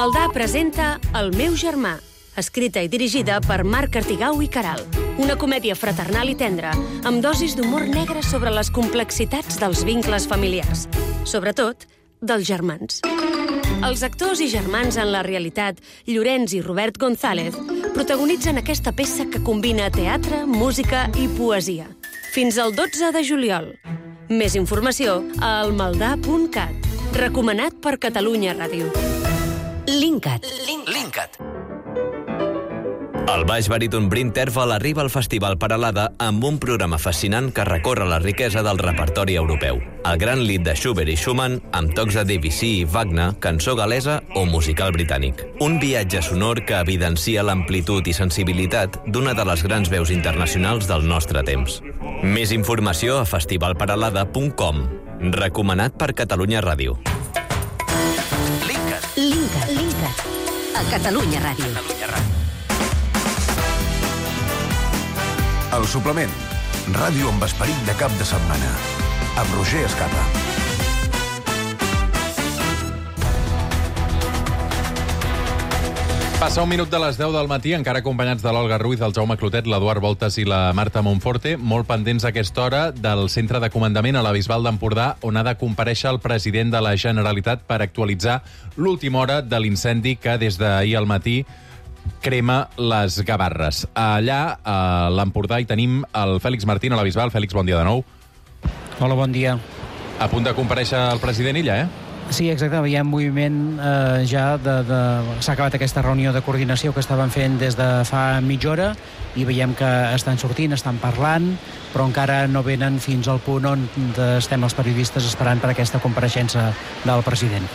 Maldà presenta El meu germà, escrita i dirigida per Marc Artigau i Caral. Una comèdia fraternal i tendra, amb dosis d'humor negre sobre les complexitats dels vincles familiars. Sobretot, dels germans. Els actors i germans en la realitat, Llorenç i Robert González, protagonitzen aquesta peça que combina teatre, música i poesia. Fins al 12 de juliol. Més informació a almaldà.cat. Recomanat per Catalunya Ràdio. Linkat. El baix baríton Bryn Terfel arriba al Festival Peralada amb un programa fascinant que recorre la riquesa del repertori europeu. El gran lied de Schubert i Schumann, amb tocs de Debussy i Wagner, cançó galesa o musical britànic. Un viatge sonor que evidencia l'amplitud i sensibilitat d'una de les grans veus internacionals del nostre temps. Més informació a festivalperalada.com. Recomanat per Catalunya Ràdio. Linkat. A Catalunya Ràdio. El suplement. Ràdio amb esperit de cap de setmana. Amb Roger Escapa. Passa un minut de les 10 del matí, encara acompanyats de l'Olga Ruiz, el Jaume Clotet, l'Eduard Voltas i la Marta Monforte, molt pendents a aquesta hora del centre de comandament a la Bisbal d'Empordà, on ha de comparèixer el president de la Generalitat per actualitzar l'última hora de l'incendi que des d'ahir al matí crema les Gavarres. Allà, a l'Empordà, hi tenim el Fèlix Martín a la Bisbal. Fèlix, bon dia de nou. Hola, bon dia. A punt de comparèixer el president Illa, Sí, exacte, veiem moviment ja s'ha acabat aquesta reunió de coordinació que estaven fent des de fa mitja hora i veiem que estan sortint, estan parlant, però encara no venen fins al punt on estem els periodistes esperant per aquesta compareixença del president.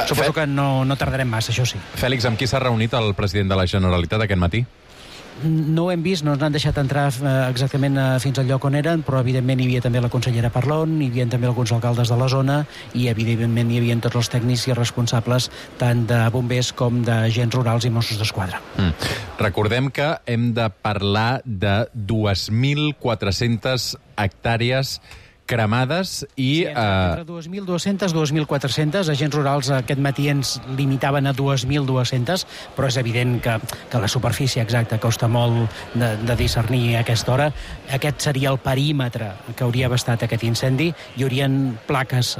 Suposo que no tardarem massa, això sí. Fèlix, amb qui s'ha reunit el president de la Generalitat aquest matí? No ho hem vist, no ens han deixat entrar exactament fins al lloc on eren, però evidentment hi havia també la consellera Parlon, hi havia també alguns alcaldes de la zona i evidentment hi havia tots els tècnics i responsables tant de bombers com d'agents rurals i Mossos d'Esquadra. Recordem que hem de parlar de 2.400 hectàrees cremades i... Entre 2.200 i 2.400. Agents rurals aquest matí ens limitaven a 2.200, però és evident que la superfície exacta costa molt de discernir a aquesta hora. Aquest seria el perímetre que hauria abastat aquest incendi. Hi haurien plaques,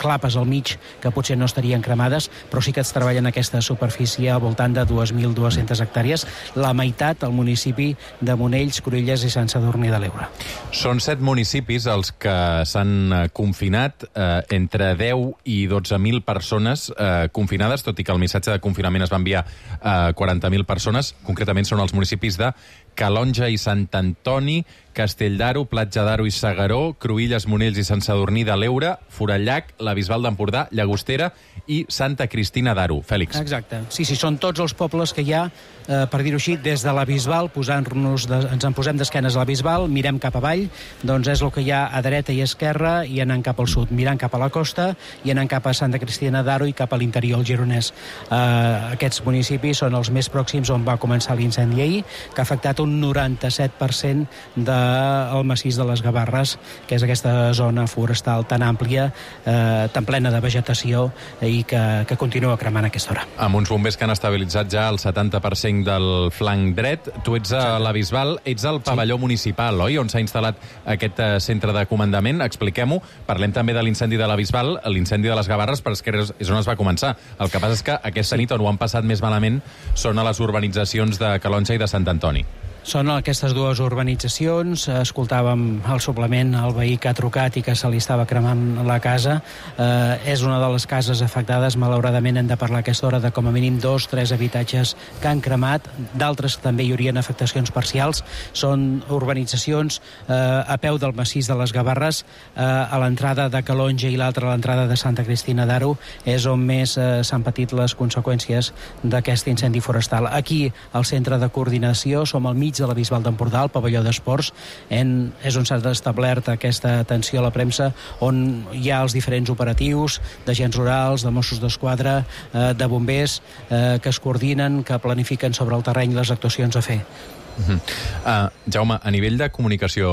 clapes al mig que potser no estarien cremades, però sí que es treballa en aquesta superfície al voltant de 2.200 hectàrees, la meitat al municipi de Monells, Cruïlles i Sant Sadurní de l'Eure. Són 7 municipis els que s'han confinat, entre 10 i 12.000 persones confinades, tot i que el missatge de confinament es va enviar a 40.000 persones. Concretament són els municipis de Calonja i Sant Antoni, Castell d'Aro, Platja d'Aro i Segaró, Cruïlles, Monells i Sant Sadurní de l'Eure, Forallac, la Bisbal d'Empordà, Llagostera i Santa Cristina d'Aro. Fèlix. Exacte. Sí, són tots els pobles que hi ha, per dir-ho així, des de la Bisbal, ens en posem d'esquenes a la Bisbal, mirem cap avall, doncs és el que hi ha a dreta i esquerra i anant cap al sud, mirant cap a la costa i anant cap a Santa Cristina d'Aro i cap a l'interior, el gironès. Aquests municipis són els més pròxims on va començar l'incendi ahir, que ha afectat un 97% del massís de les Gavarres, que és aquesta zona forestal tan àmplia, tan plena de vegetació i que continua cremant a aquesta hora. Amb uns bombers que han estabilitzat ja el 70% del flanc dret. Tu ets a la Bisbal, ets al pavelló municipal, oi? On s'ha instal·lat aquest centre de comandament. Expliquem-ho. Parlem també de l'incendi de la Bisbal, l'incendi de les Gavarres, però és on es va començar. El que passa és que aquesta nit on ho han passat més malament són a les urbanitzacions de Calonja i de Sant Antoni. Són aquestes dues urbanitzacions. Escoltàvem al suplement el veí que ha trucat i que se li estava cremant la casa. És una de les cases afectades. Malauradament hem de parlar a aquesta hora de com a mínim 2-3 habitatges que han cremat. D'altres també hi haurien afectacions parcials. Són urbanitzacions a peu del massís de les Gavarres, a l'entrada de Calonja i l'altra a l'entrada de Santa Cristina d'Aro. És on més s'han patit les conseqüències d'aquest incendi forestal. Aquí, al centre de coordinació, som al mig de la Bisbal d'Empordà, el pavelló d'esports, és on s'ha establert aquesta atenció a la premsa, on hi ha els diferents operatius d'agents rurals, de Mossos d'Esquadra, de bombers, que es coordinen, que planifiquen sobre el terreny les actuacions a fer. Jaume, a nivell de comunicació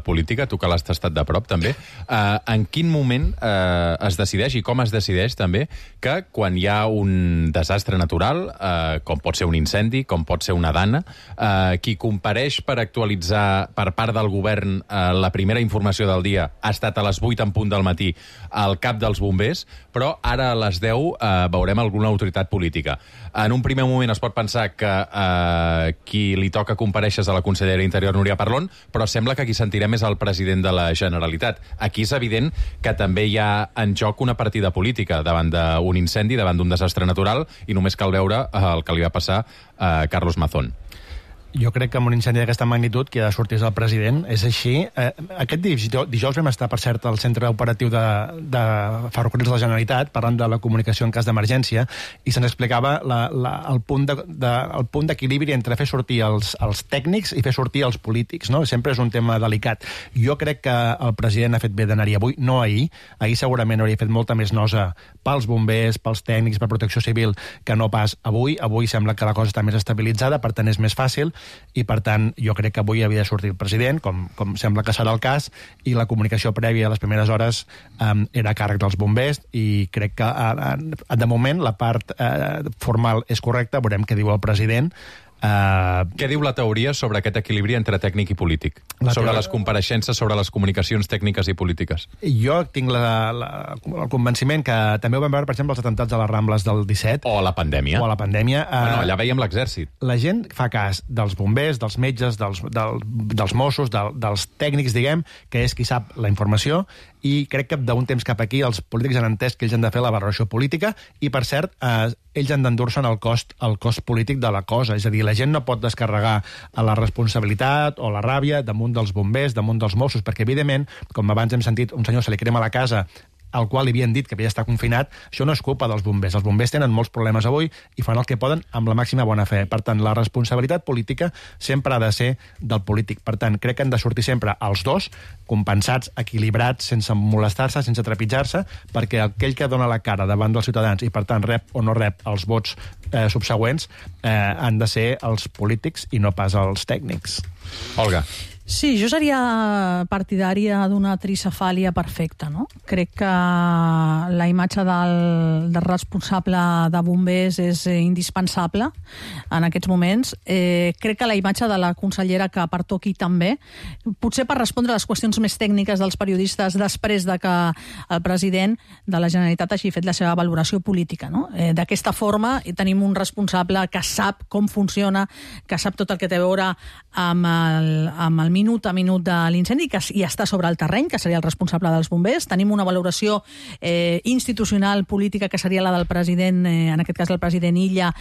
política, tu que l'has tastat de prop també, en quin moment es decideix i com es decideix també que quan hi ha un desastre natural, com pot ser un incendi, com pot ser una dana, qui compareix per actualitzar per part del govern la primera informació del dia ha estat a les 8 en punt del matí al cap dels bombers, però ara a les 10 veurem alguna autoritat política. En un primer moment es pot pensar que qui li toca comparèixer és a la consellera d'Interior, Núria Parlon, però sembla que qui sentirem és el president de la Generalitat. Aquí és evident que també hi ha en joc una partida política davant d'un incendi, davant d'un desastre natural, i només cal veure el que li va passar a Carlos Mazón. Jo crec que amb un incendi d'aquesta magnitud qui ha de sortir és el president, és així. Aquest dijous vam estar, per cert, al centre operatiu de Ferrocarrils de la Generalitat, parlant de la comunicació en cas d'emergència, i se'ns explicava el punt d'equilibri entre fer sortir els tècnics i fer sortir els polítics, no? Sempre és un tema delicat. Jo crec que el president ha fet bé d'anar-hi avui, no ahir. Ahir segurament hauria fet molta més nosa pels bombers, pels tècnics, per Protecció Civil, que no pas avui. Avui sembla que la cosa està més estabilitzada, per tant és més fàcil, i per tant jo crec que avui havia de sortir el president, com sembla que serà el cas, i la comunicació prèvia a les primeres hores era a càrrec dels bombers, i crec que de moment la part formal és correcta, veurem què diu el president. Què diu la teoria sobre aquest equilibri entre tècnic i polític? Sobre les compareixences, sobre les comunicacions tècniques i polítiques? Jo tinc el convenciment que també ho vam veure, per exemple, els atemptats a les Rambles del 17. O a la pandèmia. Bueno, allà veiem l'exèrcit. La gent fa cas dels bombers, dels metges, dels Mossos, dels tècnics, diguem, que és qui sap la informació, i crec que d'un temps cap aquí els polítics han entès que ells han de fer la valoració política i, per cert, ells han d'endur-se'n el cost polític de la cosa. És a dir, la gent no pot descarregar la responsabilitat o la ràbia damunt dels bombers, damunt dels Mossos, perquè, evidentment, com abans hem sentit, un senyor se li crema la casa al qual li havien dit que havia d'estar confinat, això no és culpa dels bombers. Els bombers tenen molts problemes avui i fan el que poden amb la màxima bona fe. Per tant, la responsabilitat política sempre ha de ser del polític. Per tant, crec que han de sortir sempre els dos, compensats, equilibrats, sense molestar-se, sense trepitjar-se, perquè aquell que dona la cara davant dels ciutadans i, per tant, rep o no rep els vots subsegüents, han de ser els polítics i no pas els tècnics. Olga. Sí, jo seria partidària d'una tricefàlia perfecta, no? Crec que la imatge del responsable de bombers és indispensable en aquests moments. Crec que la imatge de la consellera que pertoqui també, potser per respondre a les qüestions més tècniques dels periodistes després de que el president de la Generalitat hagi fet la seva valoració política, no? D'aquesta forma tenim un responsable que sap com funciona, que sap tot el que té a veure amb el minut a minut de l'incendi, que hi està sobre el terreny, que seria el responsable dels bombers. Tenim una valoració institucional, política, que seria la del president, en aquest cas el president Illa,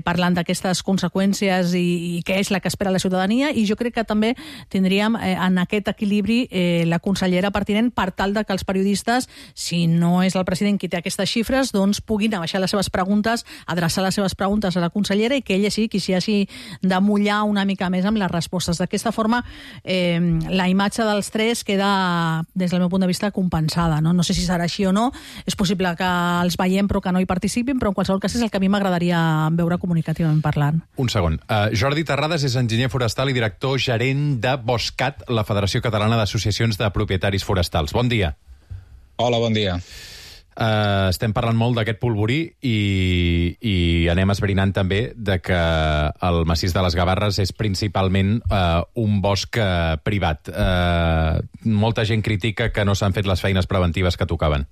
parlant d'aquestes conseqüències i què és la que espera la ciutadania, i jo crec que també tindríem en aquest equilibri la consellera pertinent per tal de que els periodistes, si no és el president qui té aquestes xifres, doncs puguin abaixar les seves preguntes, adreçar les seves preguntes a la consellera i que ella sí qui s'hi hagi de mullar una mica més amb les respostes. D'aquesta forma, la imatge dels tres queda, des del meu punt de vista, compensada. No sé si serà així o no. És possible que els veiem però que no hi participin, però en qualsevol cas és el que a mi m'agradaria veure comunicativament parlant. Un segon. Jordi Terrades és enginyer forestal i director gerent de Boscat, la Federació Catalana d'Associacions de Propietaris Forestals. Bon dia. Hola, bon dia. Estem parlant molt d'aquest polvorí i anem esbrinant també de que el massís de les Gavarres és principalment un bosc privat. Molta gent critica que no s'han fet les feines preventives que tocaven.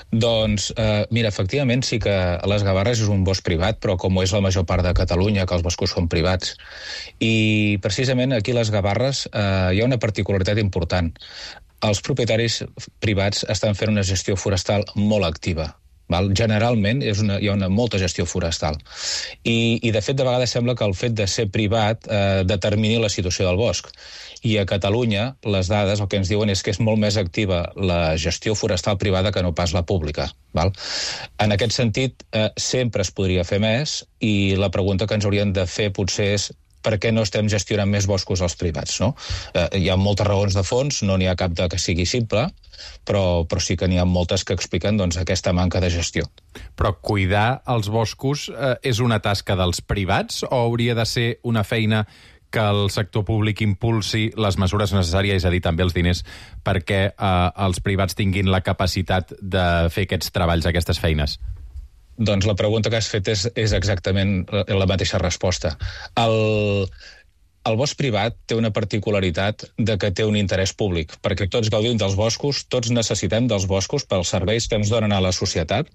Doncs, mira, efectivament sí que les Gavarres és un bosc privat, però com ho és la major part de Catalunya, que els boscos són privats. I precisament aquí a les Gavarres hi ha una particularitat important. Els propietaris privats estan fent una gestió forestal molt activa. Generalment hi ha molta gestió forestal. I de fet, de vegades sembla que el fet de ser privat determini la situació del bosc. I a Catalunya, les dades el que ens diuen és que és molt més activa la gestió forestal privada que no pas la pública. En aquest sentit, sempre es podria fer més, i la pregunta que ens haurien de fer potser és per què no estem gestionant més boscos als privats, no? Hi ha moltes raons de fons, no n'hi ha cap que sigui simple, però sí que n'hi ha moltes que expliquen aquesta manca de gestió. Però cuidar els boscos és una tasca dels privats o hauria de ser una feina que el sector públic impulsi les mesures necessàries, és a dir, també els diners, perquè els privats tinguin la capacitat de fer aquests treballs, aquestes feines? Doncs la pregunta que has fet és exactament la mateixa resposta. El bosc privat té una particularitat de que té un interès públic, perquè tots gaudim dels boscos, tots necessitem dels boscos pels serveis que ens donen a la societat,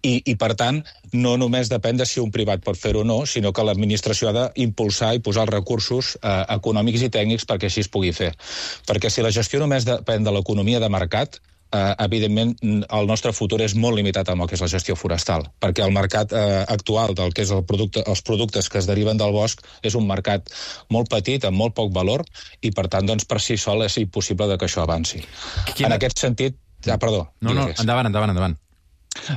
i per tant, no només depèn de si un privat pot fer-ho o no, sinó que l'administració ha d'impulsar i posar els recursos econòmics i tècnics perquè així es pugui fer. Perquè si la gestió només depèn de l'economia de mercat, evidentment el nostre futur és molt limitat amb el que és la gestió forestal, perquè el mercat actual del que és els productes que es deriven del bosc és un mercat molt petit, amb molt poc valor, i per tant, doncs, per si sol és impossible que això avanci. En aquest sentit... perdó. No, endavant.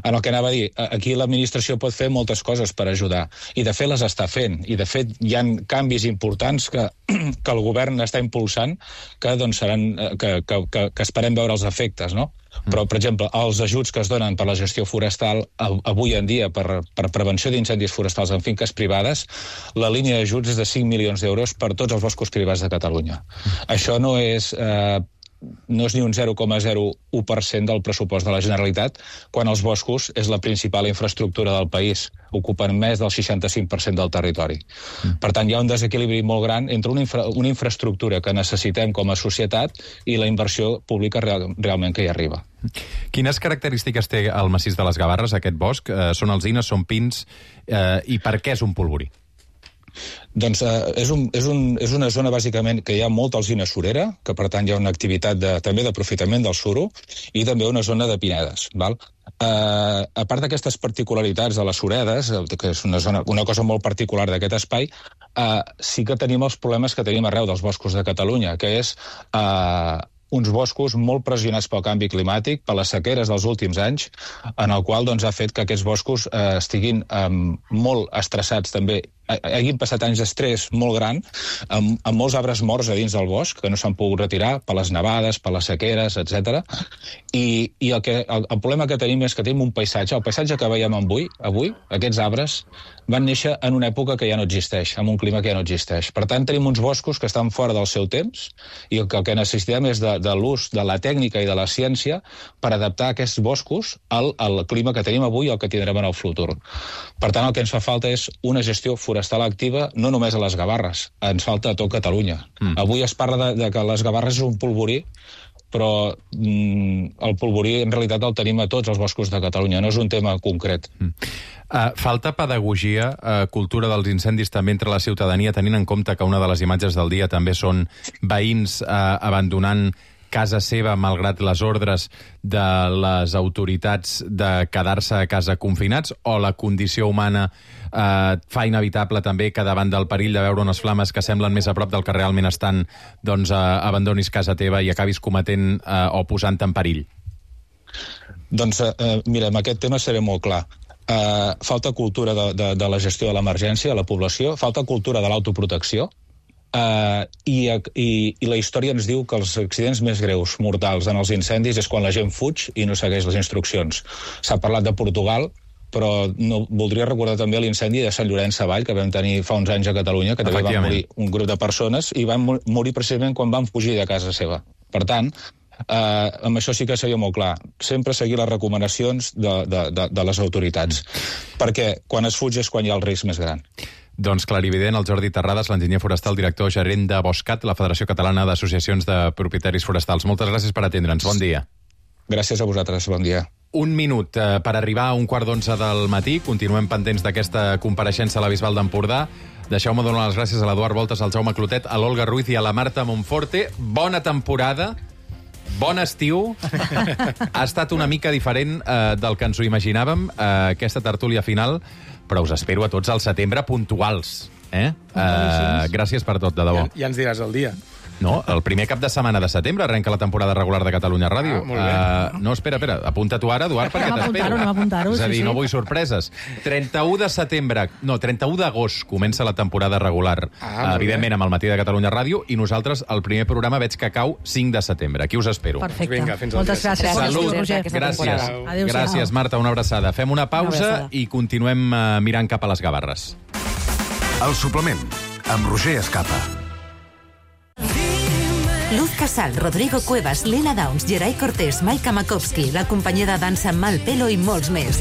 En el que anava a dir, aquí l'administració pot fer moltes coses per ajudar, i de fet les està fent, i de fet hi ha canvis importants que el govern està impulsant que esperem veure els efectes, no? Però, per exemple, els ajuts que es donen per la gestió forestal avui en dia per prevenció d'incendis forestals en finques privades, la línia d'ajuts és de 5 milions d'euros per tots els boscos privats de Catalunya. Això no és ni un 0,01% del pressupost de la Generalitat, quan els boscos és la principal infraestructura del país, ocupen més del 65% del territori. Per tant, hi ha un desequilibri molt gran entre una infraestructura que necessitem com a societat i la inversió pública realment que hi arriba. Quines característiques té el massís de les Gavarres, aquest bosc? Són alzines, són pins, i per què és un polvorí? Doncs és una zona, bàsicament, que hi ha molta alzina surera, que per tant hi ha una activitat també d'aprofitament del suro, i també una zona de pinedes. Val? A part d'aquestes particularitats de les suredes, que és una cosa molt particular d'aquest espai, sí que tenim els problemes que tenim arreu dels boscos de Catalunya, que és uns boscos molt pressionats pel canvi climàtic, per les sequeres dels últims anys, en el qual ha fet que aquests boscos estiguin molt estressats també, hagin passat anys d'estrès molt gran, amb molts arbres morts a dins del bosc, que no s'han pogut retirar per les nevades, per les sequeres, etc. I el problema que tenim és que tenim un paisatge, el paisatge que veiem avui, aquests arbres, van néixer en una època que ja no existeix, amb un clima que ja no existeix. Per tant, tenim uns boscos que estan fora del seu temps, i el que necessitem és de l'ús de la tècnica i de la ciència per adaptar aquests boscos al clima que tenim avui i al que tindrem en el futur. Per tant, el que ens fa falta és una gestió forestal activa, no només a les Gavarres, ens falta a tot Catalunya. Avui es parla de que les Gavarres és un polvorí, però el polvorí en realitat el tenim a tots els boscos de Catalunya, no és un tema concret. Falta pedagogia, cultura dels incendis també entre la ciutadania, tenint en compte que una de les imatges del dia també són veïns abandonant casa seva, malgrat les ordres de les autoritats de quedar-se a casa confinats, o la condició humana fa inevitable també que davant del perill de veure unes flames que semblen més a prop del que realment estan, doncs abandonis casa teva i acabis cometent o posant-te en perill? Doncs mira, amb aquest tema seré molt clar. Falta cultura de la gestió de l'emergència a la població, falta cultura de l'autoprotecció, i la història ens diu que els accidents més greus, mortals, en els incendis és quan la gent fuig i no segueix les instruccions. S'ha parlat de Portugal, però voldria recordar també l'incendi de Sant Llorenç Savall, que vam tenir fa uns anys a Catalunya, que també va morir un grup de persones, i van morir precisament quan van fugir de casa seva. Per tant, amb això sí que seria molt clar. Sempre seguir les recomanacions de les autoritats, perquè quan es fuig és quan hi ha el risc més gran. Doncs clarivident, el Jordi Terrades, l'enginyer forestal, director gerent de Boscat, la Federació Catalana d'Associacions de Propietaris Forestals. Moltes gràcies per atendre'ns. Bon dia. Gràcies a vosaltres. Bon dia. Un minut per arribar a 11:15 del matí. Continuem pendents d'aquesta compareixença a la Bisbal d'Empordà. Deixeu-me donar les gràcies a l'Eduard Voltes, al Jaume Clotet, a l'Olga Ruiz i a la Marta Monforte. Bona temporada. Bon estiu. Ha estat una mica diferent del que ens ho imaginàvem, aquesta tertúlia final, però us espero a tots al setembre puntuals. Gràcies per tot, de debò. Ja ens diràs el dia. No, el primer cap de setmana de setembre arrenca la temporada regular de Catalunya Ràdio. Molt bé. No, espera, apunta tu ara, Eduard, perquè t'espero. Anem a apuntar-ho, És a dir, no vull sorpreses. 31 de setembre, no, 31 d'agost comença la temporada regular, evidentment amb el Matí de Catalunya Ràdio, i nosaltres el primer programa veig que cau 5 de setembre. Aquí us espero. Perfecte. Vinga, fins al Moltes dia. gràcies. Salut, gràcies. Gràcies, Marta, una abraçada. Fem una pausa i continuem mirant cap a les Gavarres. El suplement, amb Roger Escapa. Luz Casal, Rodrigo Cuevas, Lena Downs, Geray Cortés, Maika Makovsky, la companyia de dansa Malpelo i molts més.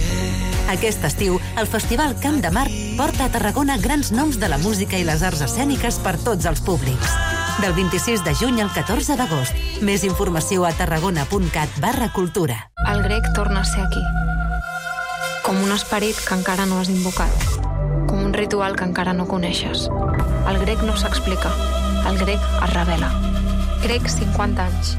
Aquest estiu, el Festival Camp de Mar porta a Tarragona grans noms de la música i les arts escèniques per tots els públics. Del 26 de juny al 14 d'agost. Més informació a tarragona.cat/cultura. El grec torna a ser aquí. Com un esperit que encara no has invocat. Com un ritual que encara no coneixes. El grec no s'explica. El grec es revela. Grec 50 anys.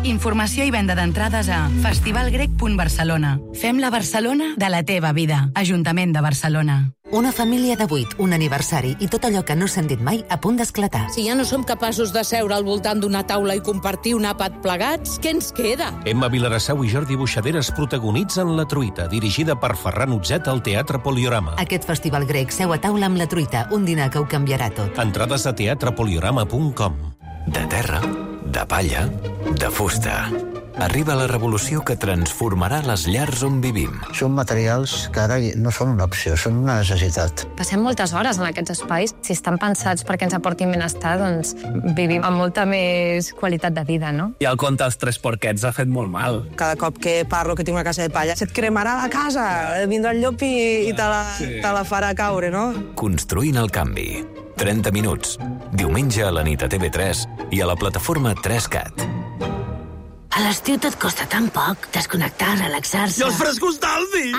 Informació i venda d'entrades a festivalgrec.barcelona. Fem la Barcelona de la teva vida. Ajuntament de Barcelona. Una família de 8, un aniversari i tot allò que no s'han dit mai a punt d'esclatar. Si ja no som capaços de seure al voltant d'una taula i compartir un àpat plegats, què ens queda? Emma Vilarassau i Jordi Buixaderes protagonitzen La Truita, dirigida per Ferran Utzet al Teatre Poliorama. Aquest festival grec seu a taula amb La Truita, un dinar que ho canviarà tot. Entrades a teatrepoliorama.com. De terra, de palla, de fusta. Arriba la revolució que transformarà les llars on vivim. Són materials que ara no són una opció, són una necessitat. Passem moltes hores en aquests espais. Si estan pensats perquè ens aportin benestar, doncs vivim amb molta més qualitat de vida, no? I el conte dels 3 porquets ha fet molt mal. Cada cop que parlo que tinc una casa de palla, se't cremarà la casa, vindrà el llop i te la farà caure, no? Construint el canvi. 30 minuts. Diumenge a la nit a TV3 i a la plataforma 3CAT. A l'estiu tot costa tan poc, desconnectar, relaxar-se... I els frescos d'Aldi!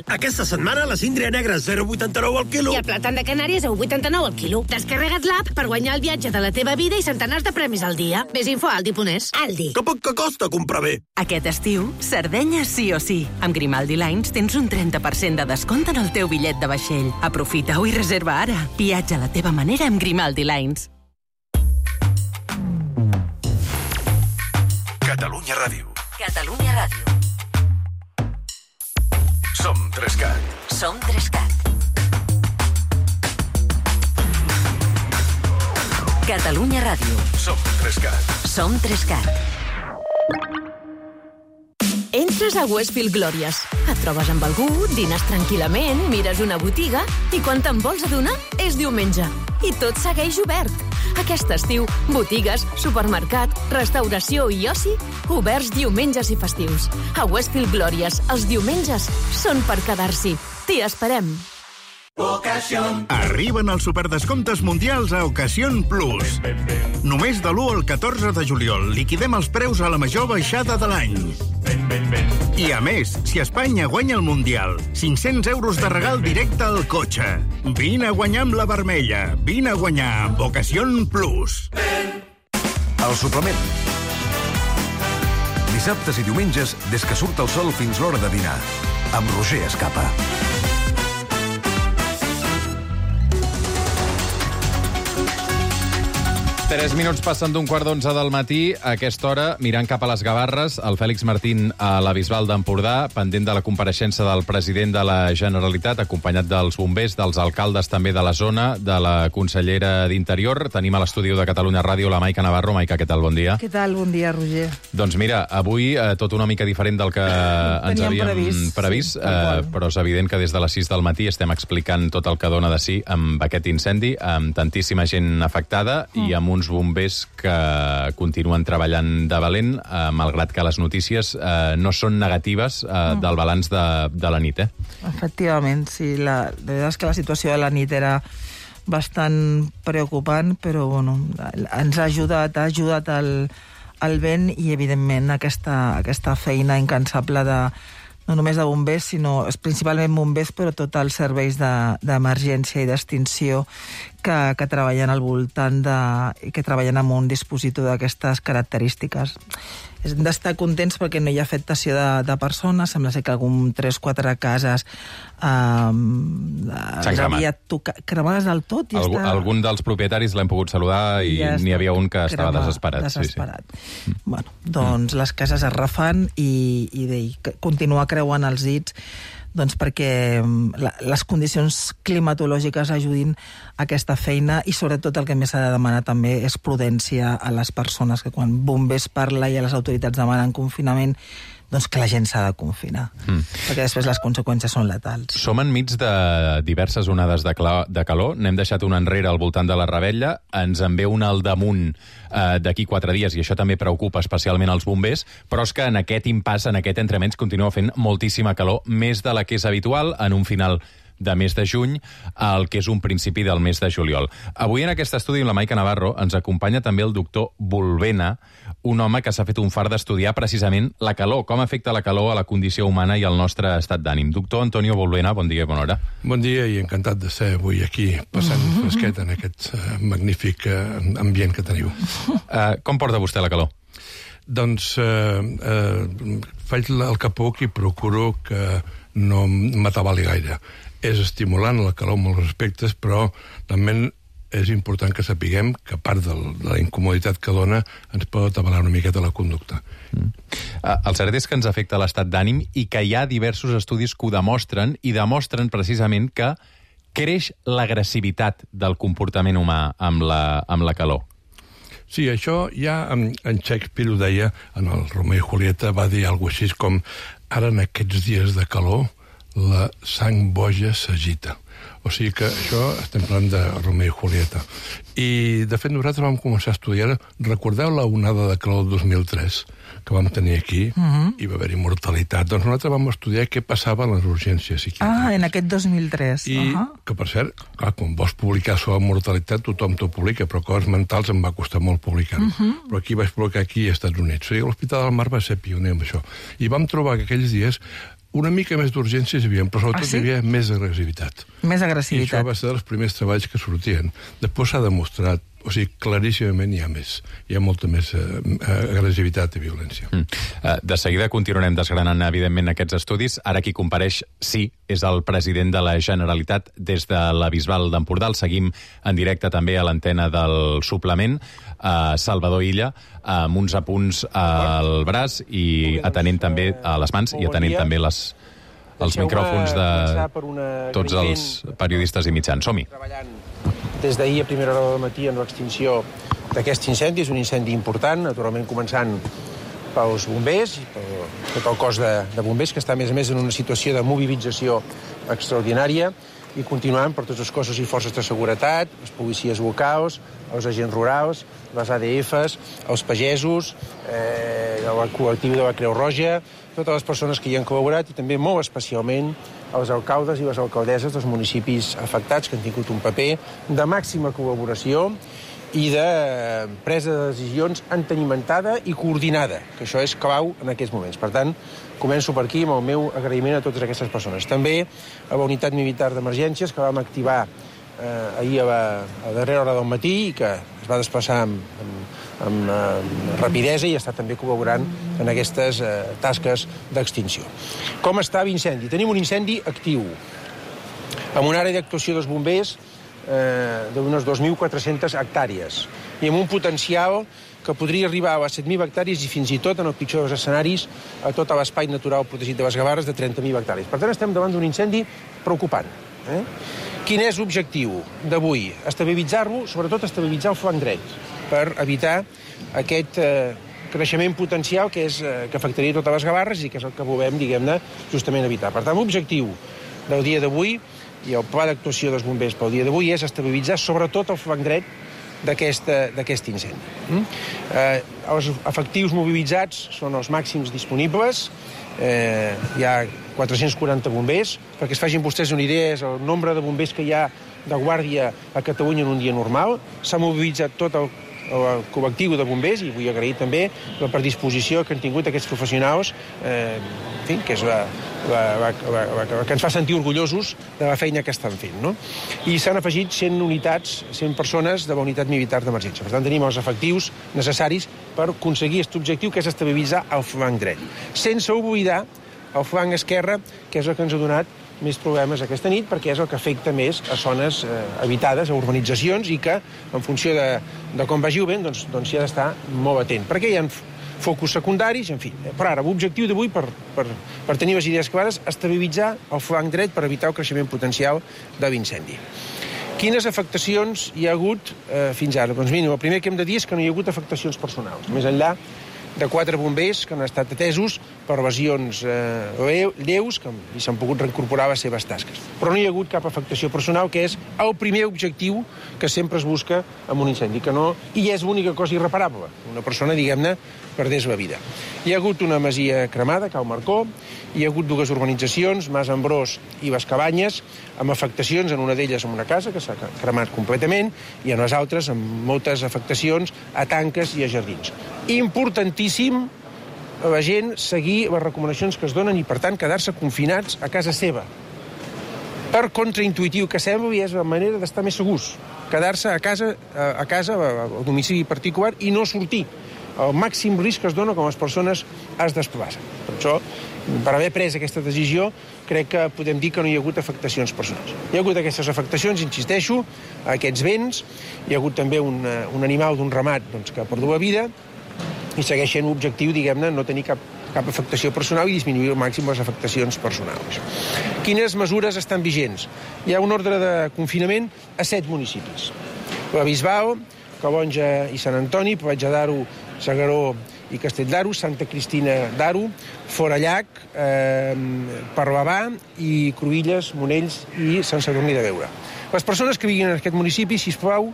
Aquesta setmana la síndria negra 0,89 al quilo. I el plàtan de Canàries a 1,89 al quilo. Descarrega't l'app per guanyar el viatge de la teva vida i centenars de premis al dia. Més info a Aldi.es. Aldi. Que poc que costa comprar bé. Aquest estiu, Sardenya sí o sí. Amb Grimaldi Lines tens un 30% de descompte en el teu bitllet de vaixell. Aprofita-ho i reserva ara. Viatja a la teva manera amb Grimaldi Lines. Catalunya Ràdio. Catalunya Ràdio. Som 3CAT. Som 3CAT. Catalunya Ràdio. Som 3CAT. Som 3CAT. Entres a Westfield Glòries. Et trobes amb algú, dines tranquil·lament, mires una botiga i quan te'n vols adonar és diumenge. I tot segueix obert. Aquest estiu, botigues, supermercat, restauració i oci, oberts diumenges i festius. A Westfield Glòries, els diumenges són per quedar-s'hi. T'hi esperem. Arriben els superdescomptes mundials a Ocasión Plus. Només de l'1 al 14 de juliol liquidem els preus a la major baixada de l'any. I a més, si Espanya guanya el Mundial, 500 euros de regal directe al cotxe. Vine a guanyar amb la vermella. Vine a guanyar amb Ocasión Plus. El suplement. Dissabtes i diumenges, des que surt el sol fins l'hora de dinar. Amb Roger Escapa. 3 minuts passen d'un 10:15 del matí. A aquesta hora, mirant cap a les Gavarres, el Fèlix Martín a la Bisbal d'Empordà, pendent de la compareixença del president de la Generalitat, acompanyat dels bombers, dels alcaldes també de la zona, de la consellera d'Interior. Tenim a l'estudi de Catalunya Ràdio la Maica Navarro. Maica, què tal? Bon dia. Què tal? Bon dia, Roger. Doncs mira, avui tot una mica diferent del que ens havíem previst, però és evident que des de les 6 del matí estem explicant tot el que dona de si amb aquest incendi, amb tantíssima gent afectada i amb uns bombers que continuen treballant de valent, malgrat que les notícies no són negatives del balanç de la nit. Efectivament, sí. La veritat és que la situació de la nit era bastant preocupant, però bueno, ens ha ajudat el vent i, evidentment, aquesta feina incansable no només de bombers, sinó principalment bombers, però tots els serveis d'emergència i d'extinció que treballen al voltant que treballen amb un dispositiu d'aquestes característiques. Hem d'estar contents perquè no hi ha afectació de persones, sembla ser que algun 3-4 cases cremades del tot. Algun dels propietaris l'hem pogut saludar i n'hi havia un que estava desesperat. Sí. Bueno, doncs les cases es refan i continua creuant els dits perquè les condicions climatològiques ajudin a aquesta feina i sobretot el que més s'ha de demanar també és prudència a les persones, que quan bombers parla i a les autoritats demanen confinament, doncs que la gent s'ha de confinar, perquè després les conseqüències són letals. Som enmig de diverses onades de calor, n'hem deixat una enrere al voltant de la Ravella, ens en ve una al damunt d'aquí 4 dies, i això també preocupa especialment els bombers, però és que en aquest impàs, en aquest entremig, continua fent moltíssima calor, més de la que és habitual en un final de mes de juny, el que és un principi del mes de juliol. Avui en aquest estudi amb la Maica Navarro ens acompanya també el doctor Volvena, un home que s'ha fet un fart d'estudiar precisament la calor, com afecta la calor a la condició humana i al nostre estat d'ànim. Doctor Antonio Volvena, bon dia i bona hora. Bon dia i encantat de ser avui aquí, passant fresquet en aquest magnífic ambient que teniu. Com porta vostè la calor? Doncs faig el que puc i procuro que no m'atabali gaire. És estimulant la calor en molts aspectes, però també és important que sapiguem que a part de la incomoditat que dona ens pot atabalar una miqueta la conducta. El cert és que ens afecta l'estat d'ànim i que hi ha diversos estudis que ho demostren, i demostren precisament que creix l'agressivitat del comportament humà amb la calor. Sí, això ja en Shakespeare ho deia, en el Romeo i Julieta va dir alguna cosa així com ara en aquests dies de calor la sang boja s'agita. O sigui que això estem parlant de Romeo i Julieta. I, de fet, nosaltres vam començar a estudiar... Recordeu la onada de calor del 2003 que vam tenir aquí? I va haver-hi mortalitat. Doncs nosaltres vam estudiar què passava a les urgències psiquiàtriques. En aquest 2003. I que, per cert, clar, quan vols publicar sobre mortalitat, tothom t'ho publica, però coses mentals em va costar molt publicar-ho. Però aquí vaig publicar aquí als Estats Units. O sigui, l'Hospital del Mar va ser pioner amb això. I vam trobar que aquells dies una mica més d'urgències hi havia, però sobretot hi havia més agressivitat. Més agressivitat. I això va ser dels primers treballs que sortien. Després s'ha demostrat, o sigui, claríssimament hi ha més. Hi ha molta més agressivitat i violència. De seguida continuarem desgranant, evidentment, aquests estudis. Ara qui compareix, sí, és el president de la Generalitat des de la Bisbal d'Empordà. El seguim en directe també a l'antena del suplement. Salvador Illa, amb uns apunts al braç i atenent també a les mans i atenent també els micròfons de tots els periodistes i mitjans. Som-hi. Des d'ahir a primera hora del matí amb l'extinció d'aquest incendi. És un incendi important, naturalment començant pels bombers i per tot el cos de bombers, que està, a més en una situació de mobilització extraordinària, i continuant per tots els cossos i forces de seguretat, les policies locals, els agents rurals, les ADFs, els pagesos, el col·lectiu de la Creu Roja, totes les persones que hi han col·laborat i també molt especialment els alcaldes i les alcaldesses dels municipis afectats, que han tingut un paper de màxima col·laboració i de presa de decisions entenimentada i coordinada, que això és clau en aquests moments. Per tant, començo per aquí amb el meu agraïment a totes aquestes persones. També a la unitat militar d'emergències que vam activar ahir a darrera hora del matí i que es va desplaçar amb rapidesa i està també col·laborant en aquestes tasques d'extinció. Com està l'incendi? Tenim un incendi actiu, amb una àrea d'actuació dels bombers d'unes 2.400 hectàrees i amb un potencial que podria arribar a les 7.000 hectàrees i fins i tot, en el pitjor dels escenaris, a tot l'espai natural protegit de les Gavarres de 30.000 hectàrees. Per tant, estem davant d'un incendi preocupant. Quin és l'objectiu d'avui? Estabilitzar-lo, sobretot estabilitzar el flanc dret, per evitar aquest creixement potencial que afectaria totes les Gavarres i que és el que volem, diguem-ne, justament evitar. Per tant, l'objectiu del dia d'avui i el pla d'actuació dels bombers pel dia d'avui és estabilitzar sobretot el flanc dret d'aquest incendi. Els efectius mobilitzats són els màxims disponibles. Hi ha 440 bombers. Perquè es facin vostès una idea, és el nombre de bombers que hi ha de guàrdia a Catalunya en un dia normal. S'ha mobilitzat tot el col·lectiu de bombers i vull agrair també la predisposició que han tingut aquests professionals, que és la que ens fa sentir orgullosos de la feina que estan fent. I s'han afegit 100 unitats, 100 persones de la unitat militar d'emergència. Per tant, tenim els efectius necessaris per aconseguir aquest objectiu, que és estabilitzar el flanc dret. Sense oblidar el flanc esquerre, que és el que ens ha donat més problemes aquesta nit, perquè és el que afecta més a zones habitades, a urbanitzacions, i que, en funció de com vagi el vent, doncs s'hi ha d'estar molt atent. Perquè hi ha focus secundaris, en fi. Però ara, l'objectiu d'avui, per tenir les idees clares, estabilitzar el flanc dret per evitar el creixement potencial de l'incendi. Quines afectacions hi ha hagut fins ara? Doncs mira, el primer que hem de dir és que no hi ha hagut afectacions personals, més enllà de 4 bombers que han estat atesos per lesions lleus i s'han pogut reincorporar a les seves tasques. Però no hi ha hagut cap afectació personal, que és el primer objectiu que sempre es busca en un incendi, i és l'única cosa irreparable. Una persona, diguem-ne, perdés la vida. Hi ha hagut una masia cremada, Cal Marcó, hi ha hagut 2 urbanitzacions, Mas Ambrós i Les Cabanyes, amb afectacions, en una d'elles en una casa, que s'ha cremat completament, i en les altres amb moltes afectacions a tanques i a jardins. Importantíssim a la gent seguir les recomanacions que es donen i, per tant, quedar-se confinats a casa seva. Per contraintuitiu que sembli, és la manera d'estar més segurs. Quedar-se a casa, al domicili particular, i no sortir. El màxim risc que es dona quan les persones es desplacen. Per això, per haver pres aquesta decisió, crec que podem dir que no hi ha hagut afectacions personals. Hi ha hagut aquestes afectacions, insisteixo, a aquests béns. Hi ha hagut també un animal d'un ramat que ha perdut la vida, i segueixen l'objectiu, diguem-ne, no tenir cap afectació personal i disminuir al màxim les afectacions personals. Quines mesures estan vigents? Hi ha un ordre de confinament a 7 municipis. La Bisbal, Calonja i Sant Antoni, Platja d'Aro, S'Agaró i Castell d'Aro, Santa Cristina d'Aro, Forallac, Parlavà i Cruïlles, Monells i Sant Sadurní de Beura. Les persones que vivien en aquest municipi, sisplau,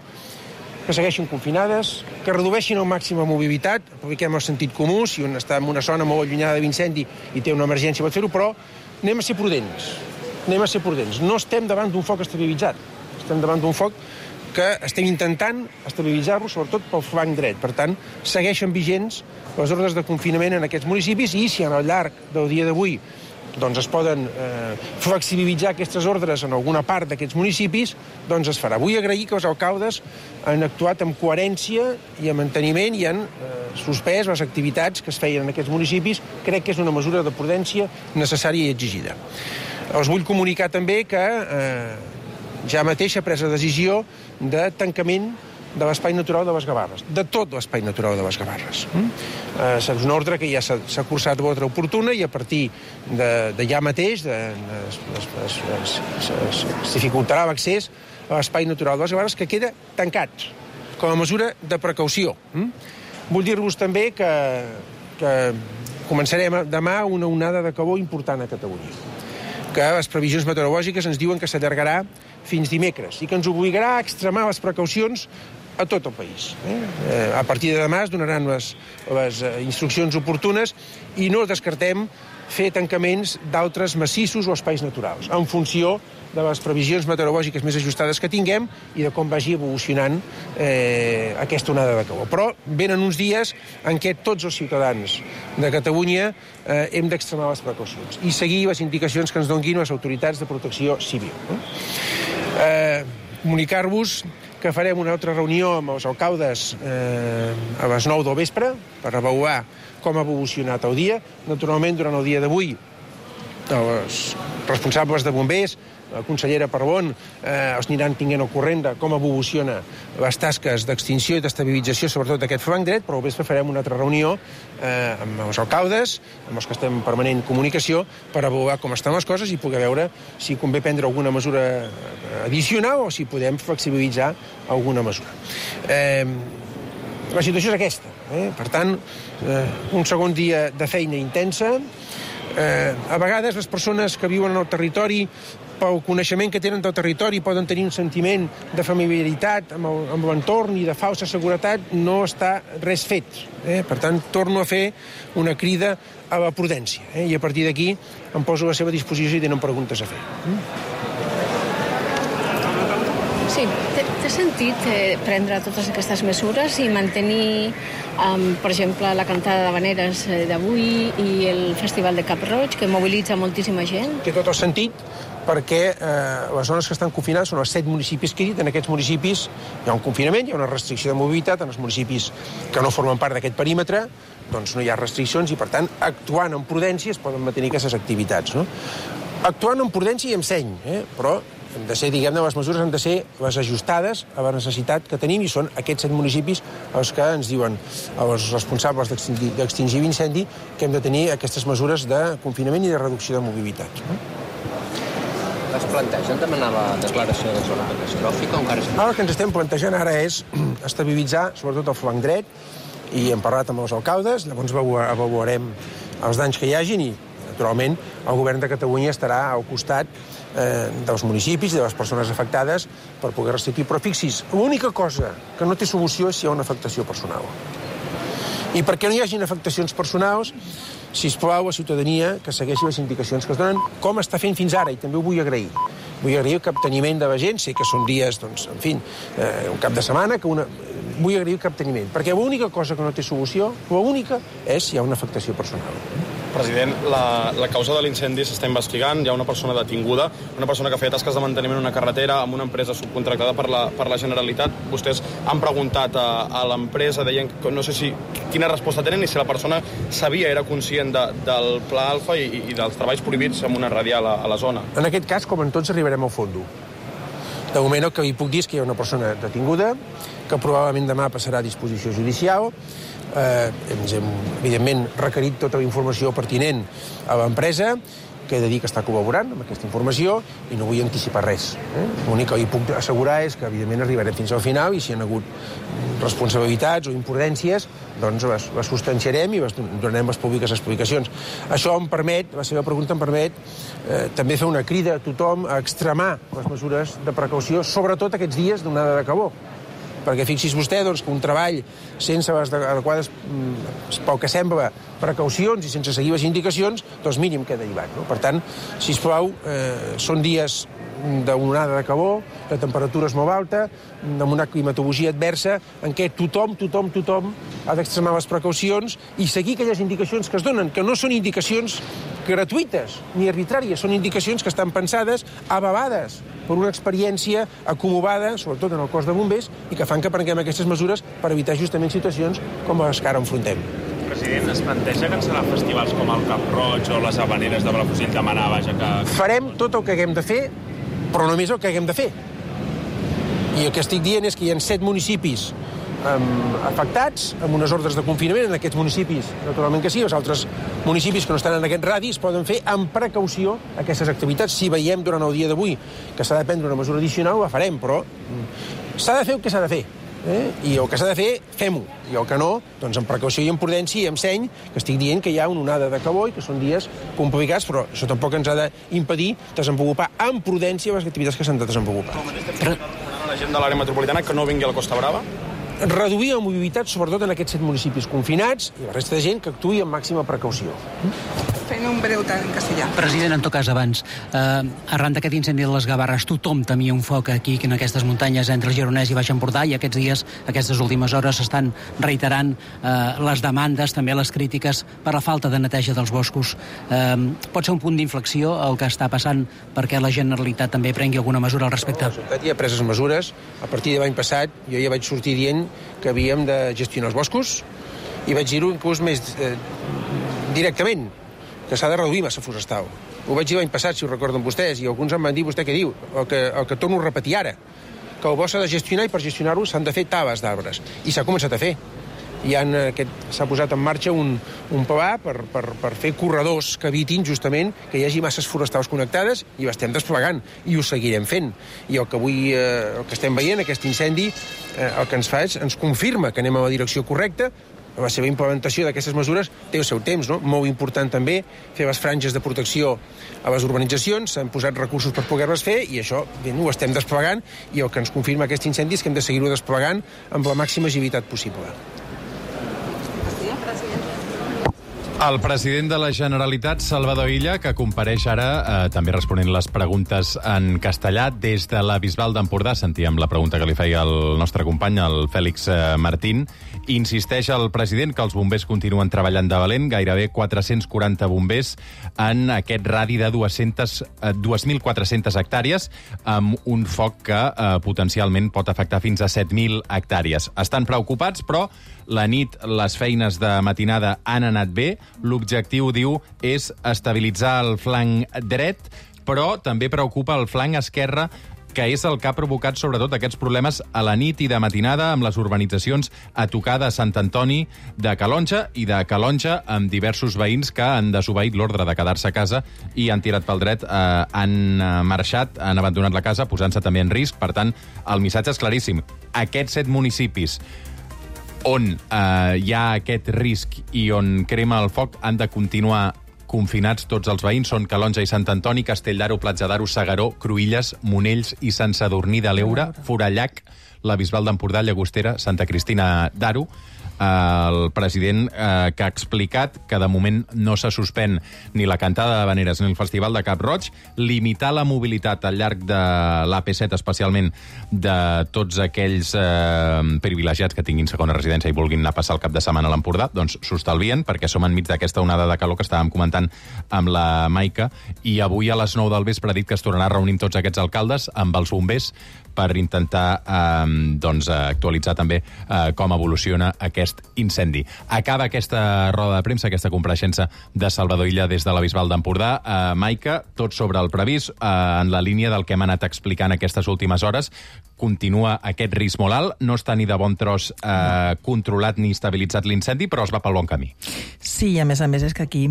que segueixin confinades, que redueixin al màxim la mobilitat, apliquem el sentit comú, si un està en una zona molt allunyada de l'incendi i té una emergència pot fer-ho, però anem a ser prudents. No estem davant d'un foc estabilitzat, estem davant d'un foc que estem intentant estabilitzar-lo, sobretot pel flanc dret. Per tant, segueixen vigents les ordres de confinament en aquests municipis i si al llarg del dia d'avui es poden flexibilitzar aquestes ordres en alguna part d'aquests municipis, doncs es farà. Vull agrair que els alcaldes han actuat amb coherència i amb manteniment i han suspès les activitats que es feien en aquests municipis. Crec que és una mesura de prudència necessària i exigida. Els vull comunicar també que ja mateix s'ha pres la decisió de tancament de l'Espai Natural de les Gavarres, de tot l'Espai Natural de les Gavarres. És una ordre que ja s'ha cursat l'ordre oportuna i a partir de ja mateix es dificultarà l'accés a l'Espai Natural de les Gavarres, que queda tancat com a mesura de precaució. Vull dir-vos també que començarem demà una onada de calor important a Catalunya, que les previsions meteorològiques ens diuen que s'allargarà fins dimecres i que ens obligarà a extremar les precaucions a tot el país. A partir de demà es donaran les instruccions oportunes i no descartem fer tancaments d'altres massissos o espais naturals, en funció de les previsions meteorològiques més ajustades que tinguem i de com vagi evolucionant aquesta onada de calor. Però venen uns dies en què tots els ciutadans de Catalunya hem d'extremar les precaucions i seguir les indicacions que ens donguin les autoritats de protecció civil. Comunicar-vos que farem una altra reunió amb els alcaldes a les 9 del vespre per avaluar com ha evolucionat el dia. Naturalment, durant el dia d'avui, els responsables de bombers, la consellera Parbón, els aniran tinguent al corrent de com evoluciona les tasques d'extinció i d'estabilització, sobretot d'aquest flanc dret, però al vespre farem una altra reunió amb els alcaldes, amb els que estem en permanent comunicació, per avaluar com estan les coses i poder veure si convé prendre alguna mesura addicional o si podem flexibilitzar alguna mesura. La situació és aquesta. Per tant, un segon dia de feina intensa. A vegades les persones que viuen en el territori, pel coneixement que tenen del territori, poden tenir un sentiment de familiaritat amb l'entorn i de falsa seguretat. No està res fet. Per tant, torno a fer una crida a la prudència. I a partir d'aquí em poso a la seva disposició si tenen preguntes a fer. Sí, té sentit prendre totes aquestes mesures i mantenir, per exemple, la cantada d'havaneres d'avui i el Festival de Cap Roig, que mobilitza moltíssima gent? Té tot el sentit, perquè les zones que estan confinades són els 7 municipis que he dit. En aquests municipis hi ha un confinament, hi ha una restricció de mobilitat. En els municipis que no formen part d'aquest perímetre doncs no hi ha restriccions i, per tant, actuant amb prudència es poden mantenir aquestes activitats. Actuant amb prudència i amb seny, però hem de ser, diguem-ne, les mesures han de ser les ajustades a la necessitat que tenim i són aquests 7 municipis els que ens diuen els responsables d'extingir l'incendi que hem de tenir aquestes mesures de confinament i de reducció de mobilitat. Es plantegen demanar la declaració de zona catastròfica o encara... El que ens estem plantejant ara és estabilitzar, sobretot el flanc dret, i hem parlat amb els alcaldes, llavors avaluarem els danys que hi hagin i, naturalment, el govern de Catalunya estarà al costat dels municipis i de les persones afectades per poder restituir. Però fixi's, l'única cosa que no té solució és si hi ha una afectació personal. I perquè no hi hagin afectacions personals, sisplau, a la ciutadania que segueixi les indicacions que es donen, com està fent fins ara, i també ho vull agrair. Vull agrair el capteniment de la gent, sé que són dies, doncs, en fi, un cap de setmana, vull agrair el capteniment, perquè l'única cosa que no té solució, l'única, és si hi ha una afectació personal. President, la causa de l'incendi s'està investigant, hi ha una persona detinguda, una persona que feia tasques de manteniment en una carretera amb una empresa subcontractada per la Generalitat. Vostès han preguntat a l'empresa, deien que no sé quina resposta tenen i si la persona sabia, era conscient del Pla Alfa i dels treballs prohibits amb una radial a la zona. En aquest cas, com en tots, arribarem al fondo. De moment el que li puc dir és que hi ha una persona detinguda, que probablement demà passarà a disposició judicial. Ens hem, evidentment, requerit tota la informació pertinent a l'empresa, que he de dir que està col·laborant amb aquesta informació i no vull anticipar res. L'únic que hi puc assegurar és que, evidentment, arribarem fins al final i si hi ha hagut responsabilitats o imprudències, doncs les substanciarem i donarem les públiques explicacions. Això em permet, la seva pregunta em permet, també fer una crida a tothom a extremar les mesures de precaució, sobretot aquests dies d'onada de calor. Perquè fixi's vostè doncs, que un treball sense les adequades, pel que sembla, precaucions i sense seguir les indicacions, doncs mínim queda derivat. No? Per tant, sisplau, són dies d'onada de calor, de temperatures molt alta, amb una climatologia adversa, en què tothom ha d'extremar les precaucions i seguir aquelles indicacions que es donen, que no són indicacions gratuïtes ni arbitràries, són indicacions que estan pensades, avalades per una experiència acumulada, sobretot en el cos de bombers, i que fan que prenguem aquestes mesures per evitar justament situacions com les que ara enfrontem. President, es planteja cancel·lar festivals com el Cap Roig o les Havaneres de Palafrugell demanar, vaja, que... Farem tot el que haguem de fer, però només el que haguem de fer. I el que estic dient és que hi ha 7 municipis afectats, amb unes ordres de confinament. En aquests municipis, naturalment que sí, els altres municipis que no estan en aquest radi es poden fer amb precaució aquestes activitats. Si veiem durant el dia d'avui que s'ha de prendre una mesura addicional, la farem, però s'ha de fer el que s'ha de fer. I el que s'ha de fer, fem-ho. I el que no, doncs amb precaució i amb prudència i amb seny, que estic dient que hi ha una onada de calor i que són dies complicats, però això tampoc ens ha d'impedir desenvolupar amb prudència les activitats que s'han de desenvolupar. La gent de l'àrea metropolitana que no vingui a la Costa Brava? Reduir la mobilitat, sobretot en aquests 7 municipis confinats, i la resta de gent que actuï amb màxima precaució. Fent un breu tant en castellà. President, en tot cas, abans, arran d'aquest incendi de les Gavarres, tothom temia un foc aquí, en aquestes muntanyes entre el Gironès i Baix Empordà, i aquests dies, aquestes últimes hores, s'estan reiterant les demandes, també les crítiques per la falta de neteja dels boscos. Pot ser un punt d'inflexió el que està passant perquè la Generalitat també prengui alguna mesura al respecte? Ja ha pres mesures. A partir de l'any passat jo ja vaig sortir dient que havíem de gestionar els boscos i vaig dir-ho inclús més directament, que s'ha de reduir massa forestal. Ho vaig dir l'any passat, si ho recorden vostès, i alguns em van dir, vostè què diu? El que torno a repetir ara, que el bosc s'ha de gestionar i per gestionar-ho s'han de fer tales d'arbres. I s'ha començat a fer. S'ha posat en marxa un pla per fer corredors que evitin justament que hi hagi masses forestals connectades i ho estem desplegant i ho seguirem fent. I el que estem veient, aquest incendi, el que ens fa és, ens confirma que anem a la direcció correcta. La seva implementació d'aquestes mesures té el seu temps, no? Molt important també fer les franges de protecció a les urbanitzacions, s'han posat recursos per poder-les fer i això ho estem desplegant i el que ens confirma aquest incendi és que hem de seguir-ho desplegant amb la màxima agilitat possible. El president de la Generalitat, Salvador Illa, que compareix ara també responent les preguntes en castellà des de la Bisbal d'Empordà. Sentíem la pregunta que li feia el nostre company, el Fèlix Martín. Insisteix el president que els bombers continuen treballant de valent, gairebé 440 bombers en aquest radi de 2.400 hectàrees, amb un foc que potencialment pot afectar fins a 7.000 hectàrees. Estan preocupats, però la nit les feines de matinada han anat bé. L'objectiu, diu, és estabilitzar el flanc dret, però també preocupa el flanc esquerre, que és el que ha provocat sobretot aquests problemes a la nit i de matinada amb les urbanitzacions a tocar de Sant Antoni de Calonge i de Calonge, amb diversos veïns que han desobeït l'ordre de quedar-se a casa i han tirat pel dret, han marxat, han abandonat la casa, posant-se també en risc. Per tant, el missatge és claríssim. Aquests 7 municipis on hi ha aquest risc i on crema el foc, han de continuar confinats tots els veïns. Són Calonge i Sant Antoni, Castell d'Aro, Platja d'Aro, S'Agaró, Cruïlles, Monells i Sant Sadurní de l'Eure, Forallac, la Bisbal d'Empordà, Llagostera, Santa Cristina d'Aro. El president que ha explicat que de moment no se suspèn ni la cantada d'havaneres ni el Festival de Cap Roig, limitar la mobilitat al llarg de l'AP7, especialment de tots aquells privilegiats que tinguin segona residència i vulguin anar a passar el cap de setmana a l'Empordà, doncs s'ho estalvien, perquè som enmig d'aquesta onada de calor que estàvem comentant amb la Maica, i avui a les 9 del vespre ha dit que es tornarà a reunir amb tots aquests alcaldes, amb els bombers, per intentar actualitzar també com evoluciona aquest incendi. Acaba aquesta roda de premsa, aquesta compareixença de Salvador Illa des de la Bisbal d'Empordà. Maica, tot sobre el previst, en la línia del que hem anat explicant aquestes últimes hores. Continua aquest risc molt alt, no està ni de bon tros controlat ni estabilitzat l'incendi, però es va pel bon camí. Sí, i a més és que aquí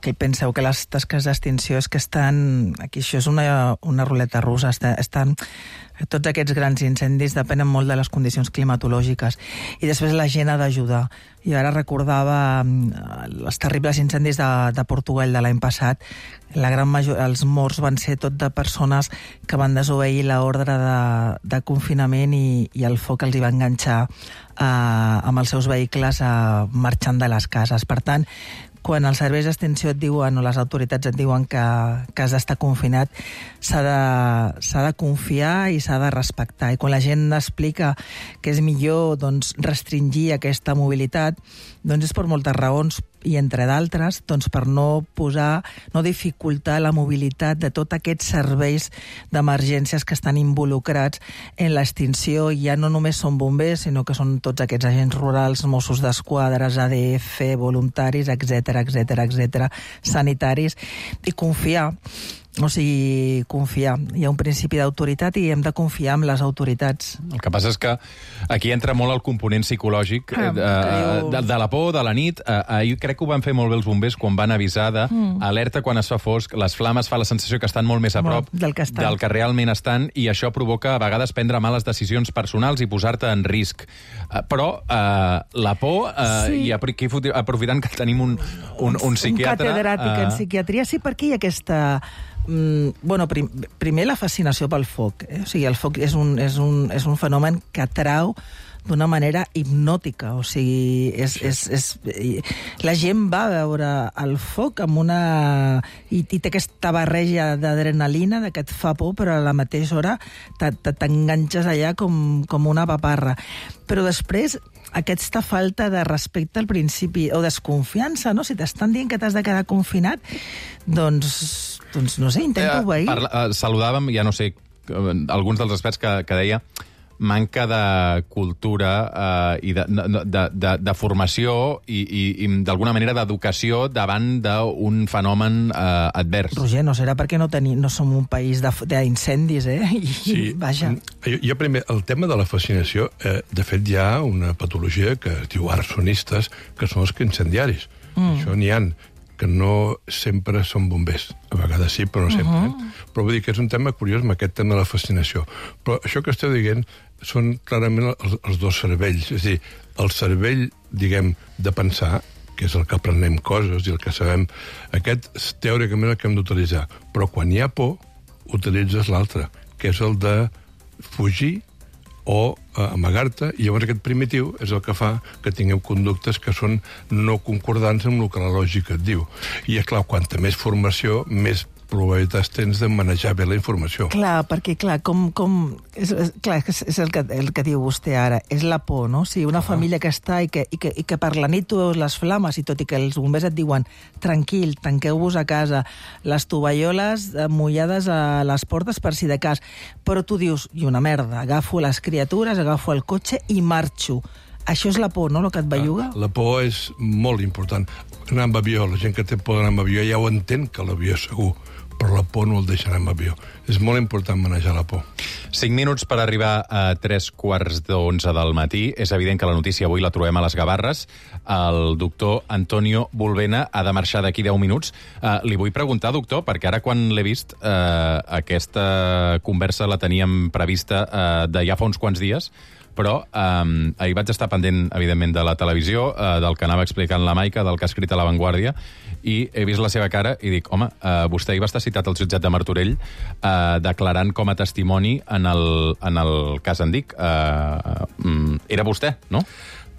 que penseu que les tasques d'extinció és que estan... Aquí això és una ruleta russa, tots aquests grans incendis depenen molt de les condicions climatològiques i després la gent ha d'ajudar. I ara recordava els terribles incendis de Portugal de l'any passat. La gran majoria, els morts van ser tot de persones que van desobeir l'ordre de confinament i el foc els hi va enganxar amb els seus vehicles marxant de les cases. Per tant, quan els serveis d'extinció et diuen, o les autoritats et diuen que has d'estar confinat, s'ha de confiar i s'ha de respectar. I quan la gent explica que és millor restringir aquesta mobilitat, és per moltes raons, i entre d'altres, per no dificultar la mobilitat de tots aquests serveis d'emergències que estan involucrats en l'extinció. Ja no només són bombers, sinó que són tots aquests agents rurals, Mossos d'Esquadra, ADF, voluntaris, etc., sanitaris, i confiar. O sigui, confiar. Hi ha un principi d'autoritat i hem de confiar en les autoritats. El que passa és que aquí entra molt el component psicològic de la por, de la nit. Ahir crec que ho van fer molt bé els bombers quan van avisar d'alerta quan es fa fosc. Les flames fa la sensació que estan molt més a prop del que realment estan, i això provoca a vegades prendre males decisions personals i posar-te en risc. Però la por, i aquí aprofitant que tenim un psiquiatre... Un catedràtic en psiquiatria, sí, perquè hi ha aquesta... primer la fascinació pel foc. O sigui, el foc és un fenomen que atrau d'una manera hipnòtica. O sigui, la gent va a veure el foc amb i té aquesta barreja d'adrenalina que et fa por, però a la mateixa hora t'enganxes allà com una paparra. Però després, aquesta falta de respecte al principi, o desconfiança, no? Si t'estan dient que t'has de quedar confinat, doncs no sé, intento obeir. Saludàvem, ja no sé, alguns dels experts que deia manca de cultura i de formació i d'alguna manera d'educació davant d'un fenomen advers. Roger, no serà perquè no som un país d'incendis, Sí, vaja. Jo primer, el tema de la fascinació, de fet hi ha una patologia que es diu arsonistes, que són els incendiaris. Això n'hi ha, que no sempre són bombers. A vegades sí, però no sempre. Però vull dir que és un tema curiós amb aquest tema de la fascinació. Però això que esteu dient són clarament els dos cervells. És a dir, el cervell, diguem, de pensar, que és el que aprenem coses i el que sabem, aquest és teòricament el que hem d'utilitzar. Però quan hi ha por, utilitzes l'altre, que és el de fugir o amagar-te, i llavors aquest primitiu és el que fa que tingueu conductes que són no concordants amb el que la lògica et diu. I és clar, quanta més formació, més probabilitats tens de manejar bé la informació. Clar, perquè és el que diu vostè ara, és la por, no? Si una família que està i que per la nit tu veus les flames, i tot i que els bombers et diuen tranquil, tanqueu-vos a casa, les tovalloles mullades a les portes per si de cas, però tu dius, i una merda, agafo les criatures, agafo el cotxe i marxo. Això és la por, no?, el que et belluga? La por és molt important. Anar amb avió, la gent que té por d'anar amb avió ja ho entén, que l'avió és segur, però la por no el deixa anar amb avió. És molt important manejar la por. 5 minuts per arribar a 3:15 del matí. És evident que la notícia avui la trobem a les Gavarres. El doctor Antonio Bulbena ha de marxar d'aquí 10 minuts. Li vull preguntar, doctor, perquè ara quan l'he vist, aquesta conversa la teníem prevista de ja fa uns quants dies, però ahir vaig estar pendent, evidentment, de la televisió, del que anava explicant la Maica, del que ha escrit a La Vanguardia, i he vist la seva cara i dic, home, vostè ahir va estar citat al jutjat de Martorell declarant com a testimoni en el cas Andic. Era vostè, no?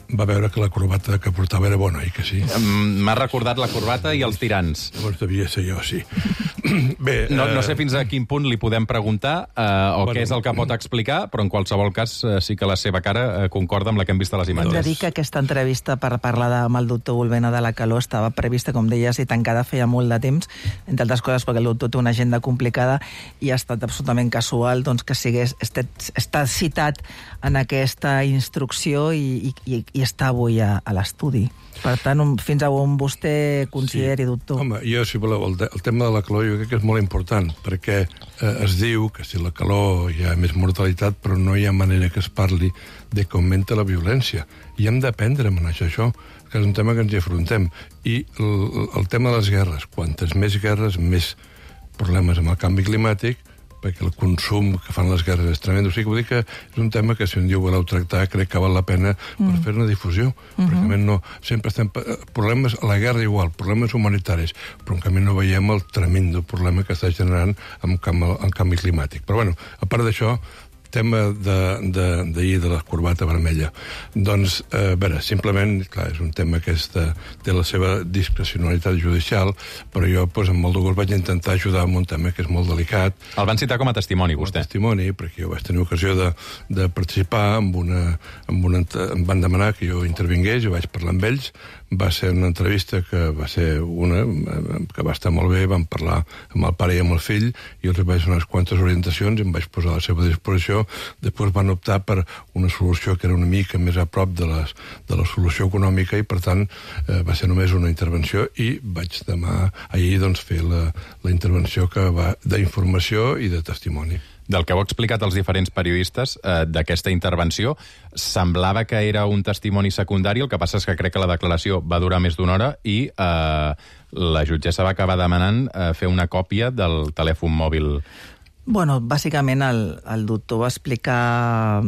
Va veure que la corbata que portava era bona, i que sí. M'ha recordat la corbata i els tirants. Llavors devia ser jo, sí. Bé, no sé fins a quin punt li podem preguntar què és el que pot explicar, però en qualsevol cas sí que la seva cara concorda amb la que hem vist a les imatges. Hem de dir que aquesta entrevista per parlar amb el doctor Bulbena de la calor estava prevista, com deies, i tancada feia molt de temps, entre altres coses perquè el doctor té una agenda complicada i ha estat absolutament casual doncs, que estat citat en aquesta instrucció i està avui a l'estudi. Per tant, fins a on vostè consideri, doctor. Home, jo, si voleu, el tema de la calor jo crec que és molt important, perquè es diu que si la calor hi ha més mortalitat, però no hi ha manera que es parli de que augmenta la violència. I hem d'aprendre a manejar això, que és un tema que ens hi afrontem. I el tema de les guerres, quantes més guerres, més problemes amb el canvi climàtic, perquè el consum que fan les guerres és tremend. O sigui, vull dir que és un tema que, si un dia ho voleu tractar, crec que val la pena per fer una difusió. Perquè, a més, no, sempre estem... Problemes a la guerra igual, problemes humanitaris, però en canvi no veiem el tremendo problema que està generant el canvi climàtic. Però, bueno, a part d'això, tema d'ahir de la corbata vermella. Doncs, a veure, simplement, clar, és un tema que té la seva discrecionalitat judicial, però jo, doncs, amb molt de gust vaig intentar ajudar en un tema que és molt delicat. El van citar com a testimoni, vostè? Com a testimoni, perquè jo vaig tenir ocasió de participar em van demanar que jo intervingués, jo vaig parlar amb ells, va ser una entrevista que va ser que va estar molt bé, vam parlar amb el pare i amb el fill, i els vaig donar unes quantes orientacions i em vaig posar a la seva disposició. Després van optar per una solució que era una mica més a prop de la solució econòmica i, per tant, va ser només una intervenció i vaig demà, ahir, doncs, fer la intervenció que va d'informació i de testimoni. Del que heu explicat als diferents periodistes d'aquesta intervenció, semblava que era un testimoni secundari, el que passa és que crec que la declaració va durar més d'una hora i la jutgessa va acabar demanant fer una còpia del telèfon mòbil. Bueno, bàsicament el doctor va explicar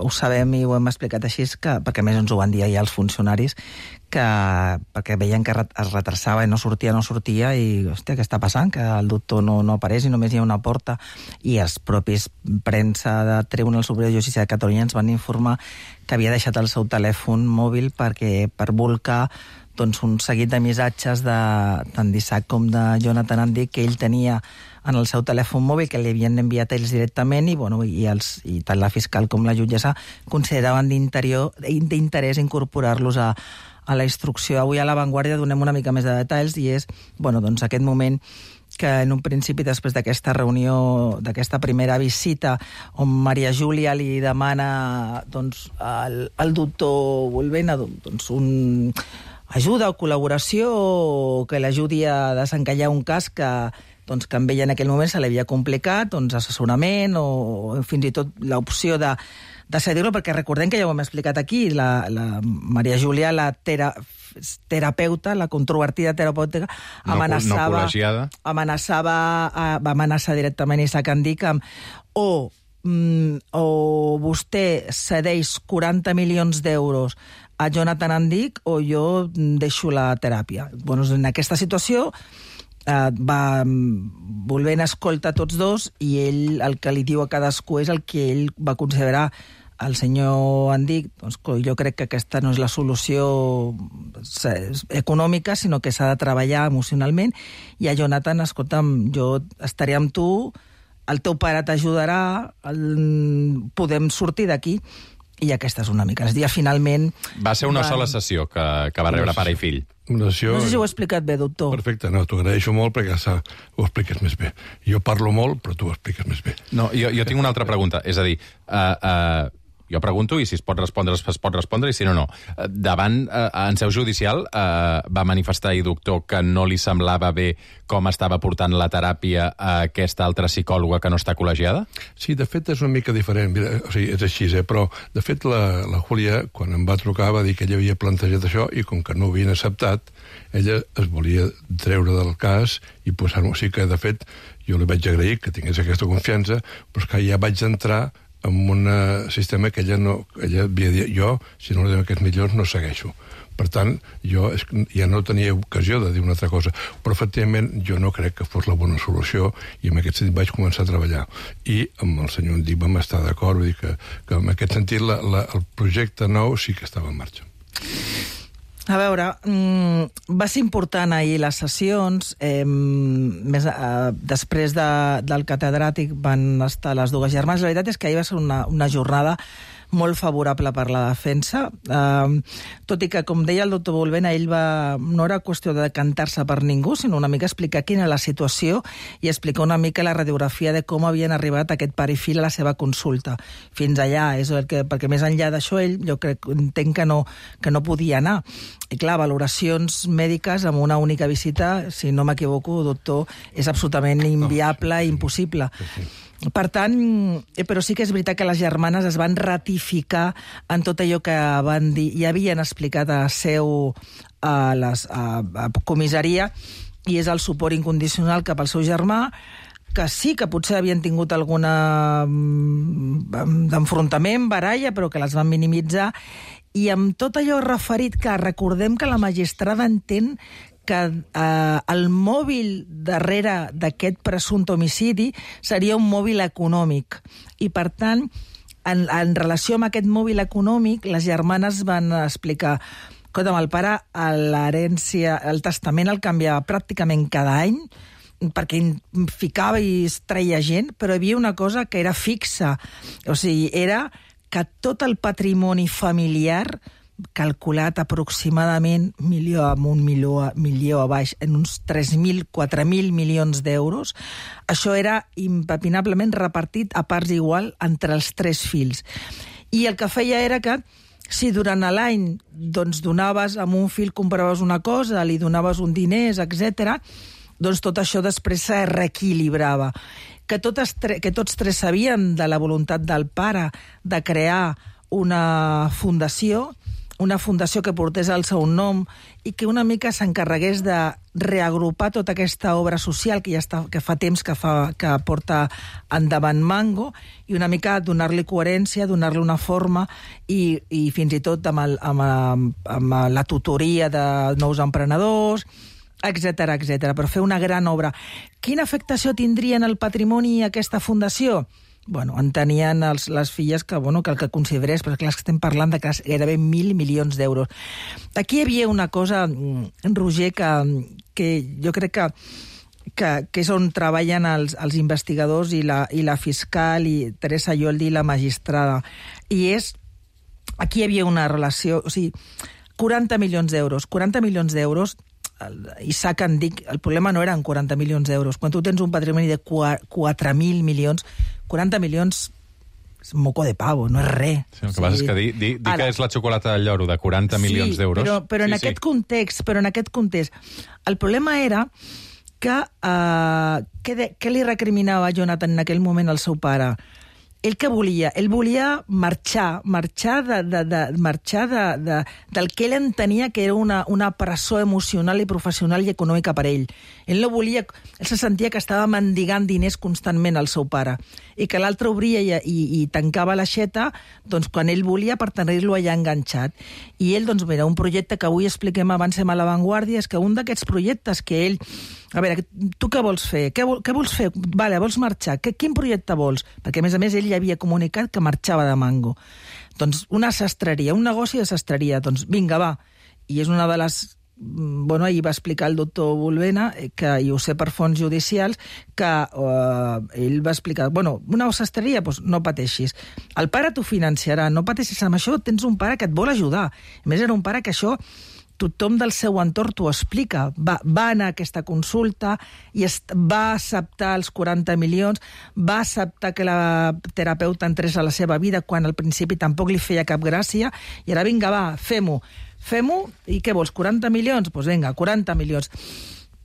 ho sabem i ho hem explicat així, perquè a més ens ho van dir ahir els funcionaris, perquè veien que es retrasava i no sortia, i, hòstia, què està passant? Que el doctor no apareix i només hi ha una porta. I els propis premsa de Tribunal Superior de Justícia de Catalunya ens van informar que havia deixat el seu telèfon mòbil per volcar doncs, un seguit de missatges tant d'Isaac com de Jonathan Andic que ell tenia en el seu telèfon mòbil, que li havien enviat ells directament, i tant la fiscal com la jutgessa consideraven d'interès incorporar-los a la instrucció. Avui a La Vanguardia donem una mica més de detalls, i és doncs, aquest moment que en un principi, després d'aquesta reunió, d'aquesta primera visita, on Maria Júlia li demana al doctor Bulbena ajuda o col·laboració, o que l'ajudi a desencallar un cas que amb ella en aquell moment se l'havia complicat, assessorament o fins i tot l'opció de cedir-lo, perquè recordem que ja ho hem explicat aquí, la Maria Júlia, la terapeuta, la controvertida terapeuta, va amenaçar directament Isaac Andic amb o vostè cedeix 40 milions d'euros a Jonathan Andic o jo deixo la teràpia. En aquesta situació va volent escoltar tots dos, i ell el que li diu a cadascú és el que ell va considerar. El senyor Andic, jo crec que aquesta no és la solució econòmica, sinó que s'ha de treballar emocionalment, i a Jonathan, escolta'm, jo estaré amb tu, el teu pare t'ajudarà, podem sortir d'aquí. I aquesta és una mica. El dia finalment... Va ser una sola sessió que va rebre pare i fill. No sé si ho he explicat bé, doctor. Perfecte, no, t'ho agraeixo molt perquè ho expliques més bé. Jo parlo molt, però tu ho expliques més bé. No, jo tinc una altra pregunta. És a dir, Jo pregunto i si es pot respondre, i si no, no. Davant, en seu judicial, va manifestar ahir, doctor, que no li semblava bé com estava portant la teràpia a aquesta altra psicòloga que no està col·legiada? Sí, de fet és una mica diferent, o sigui, és així, però de fet la Júlia, quan em va trucar, va dir que ella havia plantejat això i com que no ho havien acceptat, ella es volia treure del cas i posar-ho. O sigui que, de fet, jo li vaig agrair que tingués aquesta confiança, però és que ja vaig entrar en un sistema que ella havia dit, jo, si no li dono aquests milions, no segueixo. Per tant, jo ja no tenia ocasió de dir una altra cosa, però efectivament jo no crec que fos la bona solució i en aquest sentit vaig començar a treballar. I amb el senyor Endich vam estar d'acord, vull dir que en aquest sentit el projecte nou sí que estava en marxa. A veure, va ser important ahir les sessions, després del catedràtic van estar les dues germanes. La veritat és que ahir va ser una jornada molt favorable per la defensa, tot i que, com deia el doctor Bolvena, ell no era qüestió de decantar-se per ningú, sinó una mica explicar quina era la situació i explicar una mica la radiografia de com havien arribat aquest pare i fill a la seva consulta. Fins allà, perquè més enllà d'això ell, jo entenc que no podia anar. I clar, valoracions mèdiques amb una única visita, si no m'equivoco, doctor, és absolutament inviable i impossible. Per tant, però sí que és veritat que les germanes es van ratificar en tot allò que van dir i havien explicat a seu a comissaria, i és el suport incondicional cap al seu germà, que sí que potser havien tingut alguna d'enfrontament, baralla, però que les van minimitzar, i amb tot allò referit que recordem que la magistrada entén que el mòbil darrere d'aquest presumpte homicidi seria un mòbil econòmic. I, per tant, en relació amb aquest mòbil econòmic, les germanes van explicar que el pare, l'herència, el testament el canviava pràcticament cada any, perquè ficava i es treia gent, però hi havia una cosa que era fixa. O sigui, era que tot el patrimoni familiar, calculat aproximadament milió a baix, en uns 3.000, 4.000 milions d'euros, això era impepinablement repartit a parts igual entre els 3 fills. I el que feia era que si durant l'any doncs, donaves amb un fill, compraves una cosa, li donaves un diners, etc., doncs tot això després se reequilibrava. Que tots 3 sabien de la voluntat del pare de crear una fundació que portés el seu nom i que una mica s'encarregués de reagrupar tota aquesta obra social que fa temps que porta endavant Mango, i una mica donar-li coherència, donar-li una forma i fins i tot amb la tutoria de nous emprenedors, etc, per fer una gran obra. Quina afectació tindria en el patrimoni aquesta fundació? Bueno, en tenien les filles que el que considerés, però clar, estem parlant de gairebé 1.000 milions d'euros. Aquí hi havia una cosa, Roger, que jo crec que és on treballen els investigadors i la fiscal i Teresa Yoldi i la magistrada. I és, aquí hi havia una relació, o sigui, 40 milions d'euros, Isaac Endich, el problema no eren 40 milions d'euros. Quan tu tens un patrimoni de 4.000 milions, 40 milions és moco de pavo, no és res. Sí, el que passa és que dir que és la xocolata del lloro de 40 milions d'euros... Però en aquest context, el problema era que què li recriminava Jonathan en aquell moment al seu pare? Ell què volia? Ell volia marxar del que ell entenia que era una presó emocional i professional i econòmica per ell. Ell no volia... Ell se sentia que estava mendigant diners constantment al seu pare i que l'altre obria i tancava l'aixeta doncs, quan ell volia per tenir-lo allà enganxat. I ell, doncs, mira, un projecte que avui expliquem, avancem a l'avantguàrdia, és que un d'aquests projectes que ell... A veure, tu què vols fer? Què vols fer? Vale, vols marxar? Quin projecte vols? Perquè, a més, ell ja havia comunicat que marxava de Mango. Doncs una sastreria, un negoci de sastreria. Doncs vinga, va. I és una de les... Bueno, ahir va explicar el doctor Bolvena, que, i ho sé per fonts judicials, que ell va explicar, bueno, una sastreria, doncs no pateixis. El pare t'ho financiarà, no pateixis amb això, tens un pare que et vol ajudar. A més, era un pare que això... tothom del seu entorn t'ho explica. Va anar a aquesta consulta i va acceptar els 40 milions, va acceptar que la terapeuta entrés a la seva vida quan al principi tampoc li feia cap gràcia, i ara vinga, va, fem-ho, i què vols, 40 milions? Doncs vinga, 40 milions.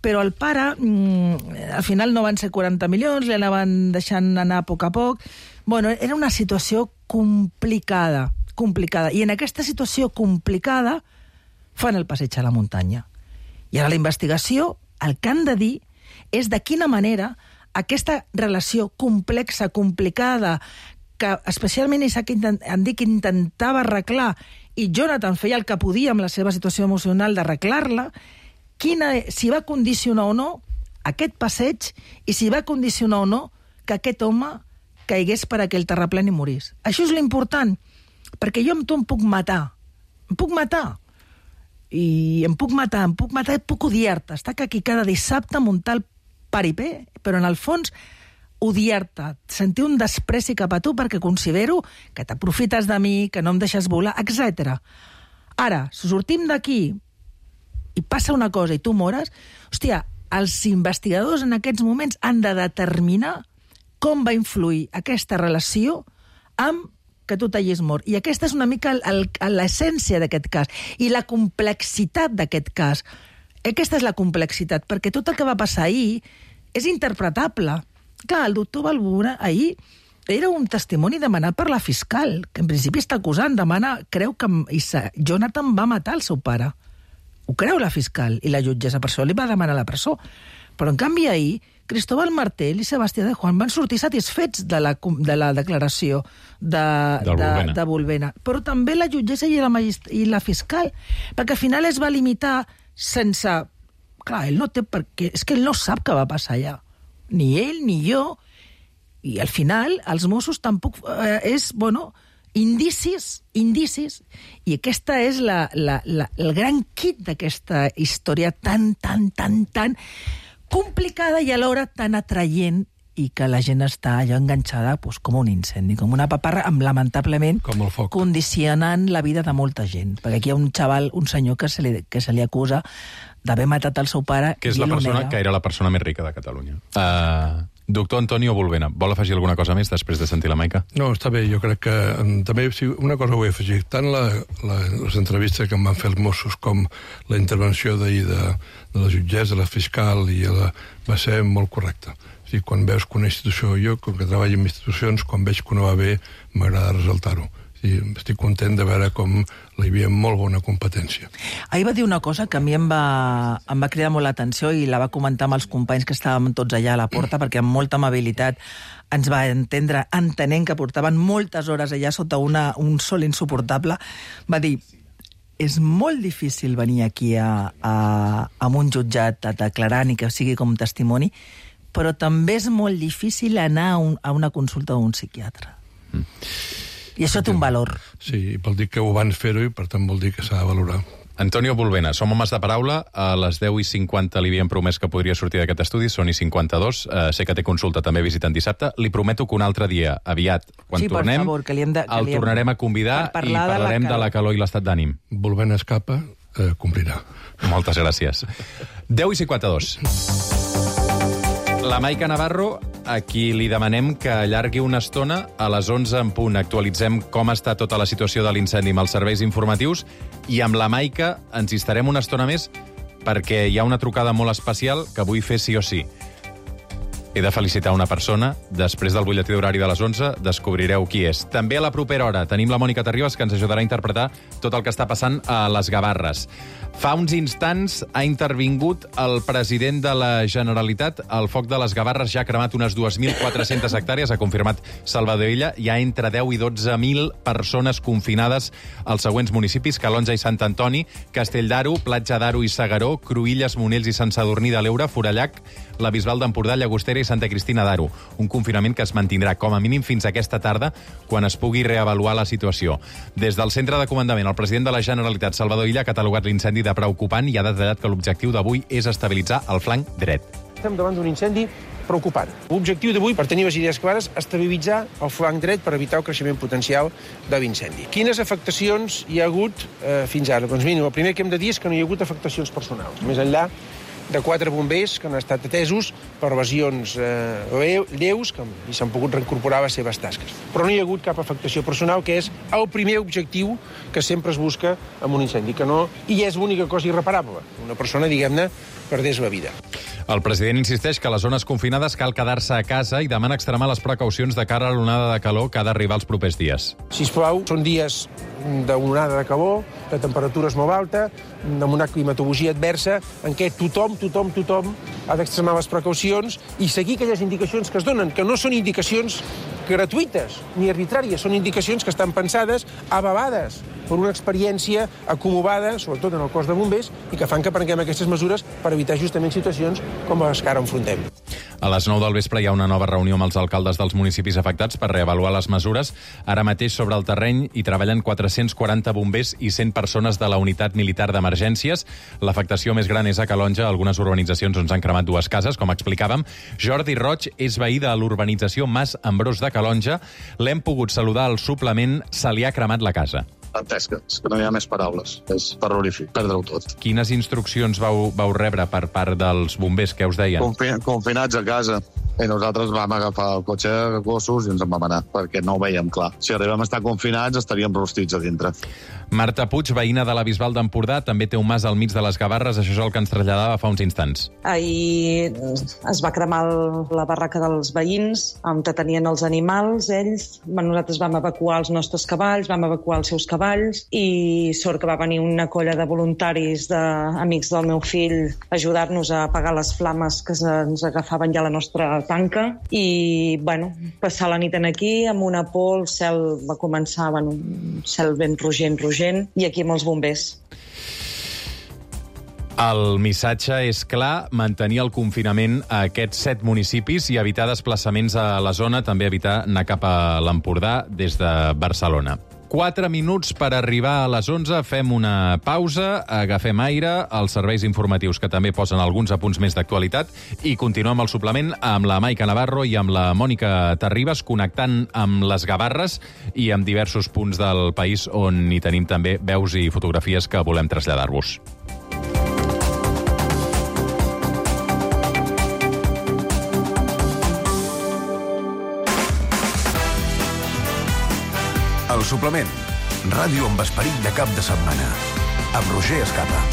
Però el pare, al final no van ser 40 milions, li anaven deixant anar a poc. Bueno, era una situació complicada. I en aquesta situació complicada fan el passeig a la muntanya. I ara la investigació, el que han de dir és de quina manera aquesta relació complexa, complicada, que especialment Isaac Andic intentava arreglar i Jonathan feia el que podia amb la seva situació emocional d'arreglar-la, si va condicionar o no aquest passeig i si va condicionar o no que aquest home caigués per aquell terraplén i morís. Això és l'important, perquè jo amb tu em puc matar. I em puc matar, i puc odiar-te. Està aquí cada dissabte muntar el paripé, però en el fons odiar-te, sentir un despreci cap a tu perquè considero que t'aprofites de mi, que no em deixes volar, etc. Ara, si sortim d'aquí i passa una cosa i tu mores, hòstia, els investigadors en aquests moments han de determinar com va influir aquesta relació amb que tu t'hagis mort. I aquesta és una mica l'essència d'aquest cas i la complexitat d'aquest cas. Aquesta és la complexitat, perquè tot el que va passar ahir és interpretable. Clar, el doctor Balbura ahir era un testimoni demanat per la fiscal, que en principi està acusant, creu que Jonathan va matar el seu pare. Ho creu la fiscal i la jutgessa, per això li va demanar la presó. Però, en canvi, ahir, Cristóbal Martel i Sebastià de Juan van sortir satisfets de la declaració de Bolvena. Però també la jutgessa i la fiscal, perquè al final es va limitar sense... Clar, ell no té per què... És que ell no sap què va passar allà. Ni ell, ni jo. I al final, els Mossos tampoc... indicis, i aquesta és el gran kit d'aquesta història tan complicada i alhora tan atraient, i que la gent està allò enganxada com un incendi, com una paparra, lamentablement condicionant la vida de molta gent. Perquè aquí hi ha un senyor que se li acusa d'haver matat el seu pare. Que és la persona que era la persona més rica de Catalunya. Doctor Antonio Bolvena, vol afegir alguna cosa més després de sentir la Maica? No, està bé, jo crec que també una cosa vull afegir. Tant les entrevistes que em van fer els Mossos com la intervenció d'ahir de la jutgessa, de la fiscal, va ser molt correcta. O sigui, quan veus que una institució, jo, com que treballo en institucions, quan veig que no va bé, m'agrada resaltar-ho. Estic content de veure com hi havia molt bona competència. Ahir va dir una cosa que a mi em va cridar molt l'atenció i la va comentar amb els companys que estàvem tots allà a la porta, perquè amb molta amabilitat ens va entendre, entenent que portaven moltes hores allà sota un sol insuportable. Va dir, és molt difícil venir aquí a un jutjat a declarar ni que sigui com testimoni, però també és molt difícil anar a una consulta d'un psiquiatre. I això té un valor. Sí, vol dir que ho van fer-ho i per tant vol dir que s'ha de valorar. Antonio Bolvena, som homes de paraula. A les 10:50 li havíem promès que podria sortir d'aquest estudi, són 52. Sé que té consulta també visitant dissabte. Li prometo que un altre dia, aviat, quan tornem, el tornarem a convidar i parlarem de la calor i l'estat d'ànim. Bolvena escapa, complirà. Moltes gràcies. 10:52. La Maica Navarro, a qui li demanem que allargui una estona a les 11 en punt. Actualitzem com està tota la situació de l'incendi amb els serveis informatius i amb la Maica ens hi estarem una estona més perquè hi ha una trucada molt especial que vull fer sí o sí. He de felicitar una persona. Després del butlletí d'horari de les 11 descobrireu qui és. També a la propera hora tenim la Mònica Terribas, que ens ajudarà a interpretar tot el que està passant a les Gavarres. Fa uns instants ha intervingut el president de la Generalitat. El foc de les Gavarres ja ha cremat unes 2.400 hectàrees, ha confirmat Salvador Illa. Hi ha entre 10 i 12.000 persones confinades als següents municipis: Calonja i Sant Antoni, Castell d'Aro, Platja d'Aro i Segaró, Cruïlles, Monells i Sant Sadurní de l'Eure, Forallac, la Bisbal d'Empordà, Llagostera i Santa Cristina d'Aro. Un confinament que es mantindrà com a mínim fins aquesta tarda, quan es pugui reavaluar la situació. Des del centre de comandament, el president de la Generalitat, Salvador Illa, ha catalogat l'incendi de preocupant i ha detallat que l'objectiu d'avui és estabilitzar el flanc dret. Estem davant d'un incendi preocupant. L'objectiu d'avui, per tenir les idees clares, estabilitzar el flanc dret per evitar el creixement potencial de l'incendi. Quines afectacions hi ha hagut fins ara? Doncs mira, el primer que hem de dir és que no hi ha hagut afectacions personals. Més enllà de 4 bombers que han estat atesos per lesions lleus i s'han pogut reincorporar a les seves tasques. Però no hi ha hagut cap afectació personal, que és el primer objectiu que sempre es busca en un incendi, que no hi és l'única cosa irreparable. Una persona, diguem-ne, perdés la vida. El president insisteix que a les zones confinades cal quedar-se a casa i demana extremar les precaucions de cara a l'onada de calor que ha d'arribar els propers dies. Sisplau, són dies d'onada de calor, de temperatures molt alta, amb una climatologia adversa, en què tothom ha d'extremar les precaucions i seguir aquelles indicacions que es donen, que no són indicacions gratuïtes ni arbitràries, són indicacions que estan pensades, avalades per una experiència acumulada, sobretot en el cos de bombers, i que fan que prenguem aquestes mesures per evitar justament situacions com les que ara enfrontem. A les 9 del vespre hi ha una nova reunió amb els alcaldes dels municipis afectats per reavaluar les mesures. Ara mateix sobre el terreny hi treballen 440 bombers i 100 persones de la unitat militar d'emergències. L'afectació més gran és a Calonja, algunes urbanitzacions on s'han cremat 2 cases, com explicàvem. Jordi Roig és veí de l'urbanització Mas Ambrós de Calonja. L'hem pogut saludar al suplement, se li ha cremat la casa. Dantesca, és que no hi ha més paraules. És terrorífic, perdre-ho tot. Quines instruccions vau rebre per part dels bombers? Què us deien? Confinats a casa. I nosaltres vam agafar el cotxe, gossos, i ens en vam anar, perquè no ho veiem clar. Si arribem a estar confinats, estaríem rostits a dintre. Marta Puig, veïna de la Bisbal d'Empordà, també té un mas al mig de les Gavarres. Això és el que ens traslladava fa uns instants. Ahir es va cremar la barraca dels veïns, on tenien els animals, ells. Nosaltres vam evacuar els nostres cavalls, vam evacuar els seus cavalls, i sort que va venir una colla de voluntaris, d'amics del meu fill, a ajudar-nos a apagar les flames que ens agafaven ja la nostra tanca, i, passar la nit aquí, amb una por, el cel va començar, un cel ben rogent, i aquí amb els bombers. El missatge és clar, mantenir el confinament a aquests 7 municipis i evitar desplaçaments a la zona, també evitar anar cap a l'Empordà des de Barcelona. 4 minuts per arribar a les 11, fem una pausa, agafem aire, els serveis informatius que també posen alguns apunts més d'actualitat, i continuem el suplement amb la Maica Navarro i amb la Mònica Terribas, connectant amb les Gavarres i amb diversos punts del país on hi tenim també veus i fotografies que volem traslladar-vos. El suplement. Ràdio amb esperit de cap de setmana. Amb Roger Escapa.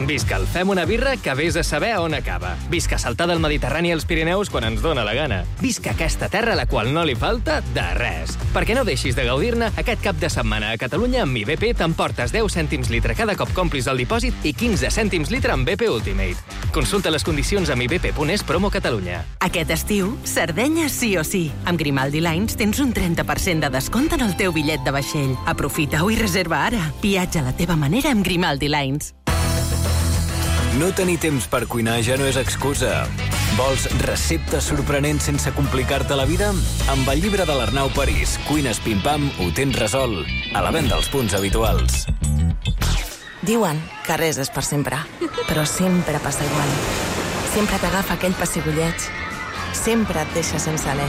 Visca el Fem una birra que vés a saber on acaba. Visca saltar del Mediterrani als Pirineus quan ens dóna la gana. Visca aquesta terra a la qual no li falta de res. Perquè no deixis de gaudir-ne, aquest cap de setmana a Catalunya amb IBP t'emportes 10 cèntims litre cada cop complis el dipòsit i 15 cèntims litre amb BP Ultimate. Consulta les condicions amb ibp.es promo Catalunya. Aquest estiu, Sardenya sí o sí. Amb Grimaldi Lines tens un 30% de descompte en el teu bitllet de vaixell. Aprofita-ho i reserva ara. Viatja a la teva manera amb Grimaldi Lines. No tenir temps per cuinar ja no és excusa. Vols receptes sorprenents sense complicar-te la vida? Amb el llibre de l'Arnau París, Cuines Pim-Pam, ho tens resolt. A la venda als punts habituals. Diuen que res és per sempre, però sempre passa igual. Sempre t'agafa aquell pessigolleig, sempre et deixa sense alè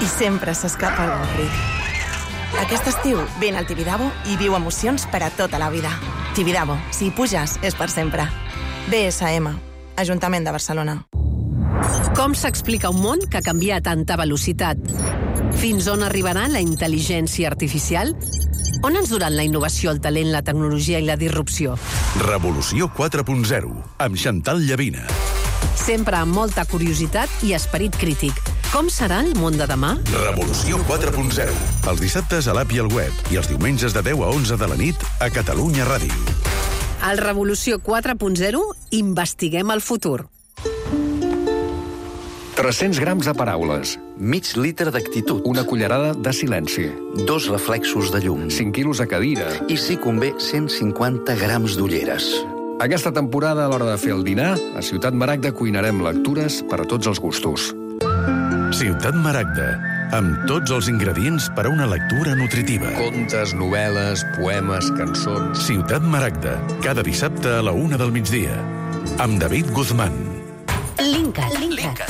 i sempre s'escapa el avorrit. Aquest estiu vine al Tibidabo i viu emocions per a tota la vida. Tibidabo, si hi puges, és per sempre. BSM, Ajuntament de Barcelona. Com s'explica un món que canvia a tanta velocitat? Fins on arribarà la intel·ligència artificial? On ens duran la innovació, el talent, la tecnologia i la disrupció? Revolució 4.0, amb Chantal Llavina. Sempre amb molta curiositat i esperit crític. Com serà el món de demà? Revolució 4.0, els dissabtes a l'app i al web i els diumenges de 10 a 11 de la nit a Catalunya Ràdio. Al Revolució 4.0 investiguem el futur. 300 grams de paraules. Mig litre d'actitud. Una cullerada de silenci. 2 reflexos de llum. 5 quilos de cadira. I, si convé, 150 grams d'ulleres. Aquesta temporada, a l'hora de fer el dinar, a Ciutat Maragda cuinarem lectures per a tots els gustos. Ciutat Maragda, amb tots els ingredients per a una lectura nutritiva. Contes, novel·les, poemes, cançons... Ciutat Maragda, cada dissabte a la 1 del migdia, amb David Guzmán. Linkat.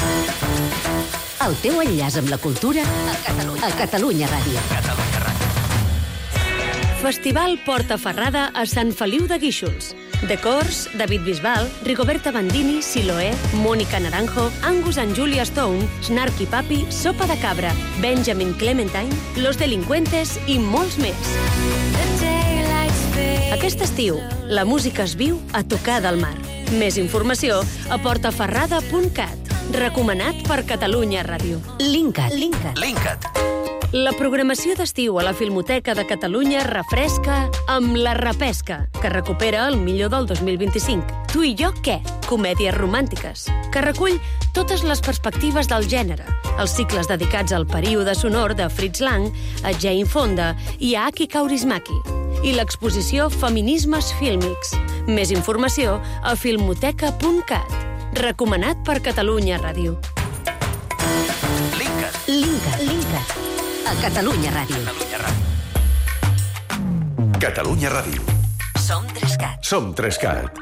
El teu enllaç amb la cultura a Catalunya Ràdio. Festival Portaferrada a Sant Feliu de Guíxols. Decors, David Bisbal, Rigoberta Bandini, Siloé, Mónica Naranjo, Angus and Julia Stone, Snarky Papi, Sopa de Cabra, Benjamin Clementine, Los Delincuentes i molts més. Aquest estiu, la música es viu a tocar del mar. Més informació a portaferrada.cat. Recomanat per Catalunya Ràdio. Linkat. La programació d'estiu a la Filmoteca de Catalunya refresca amb La Repesca, que recupera el millor del 2025. Tu i jo què? Comèdies romàntiques, que recull totes les perspectives del gènere, els cicles dedicats al període sonor de Fritz Lang, a Jane Fonda i a Aki Kaurismäki, i l'exposició Feminismes Fílmics. Més informació a filmoteca.cat. Recomanat per Catalunya Ràdio. Linkat. A Catalunya Ràdio. Catalunya Ràdio. Som 3CAT. Som 3CAT.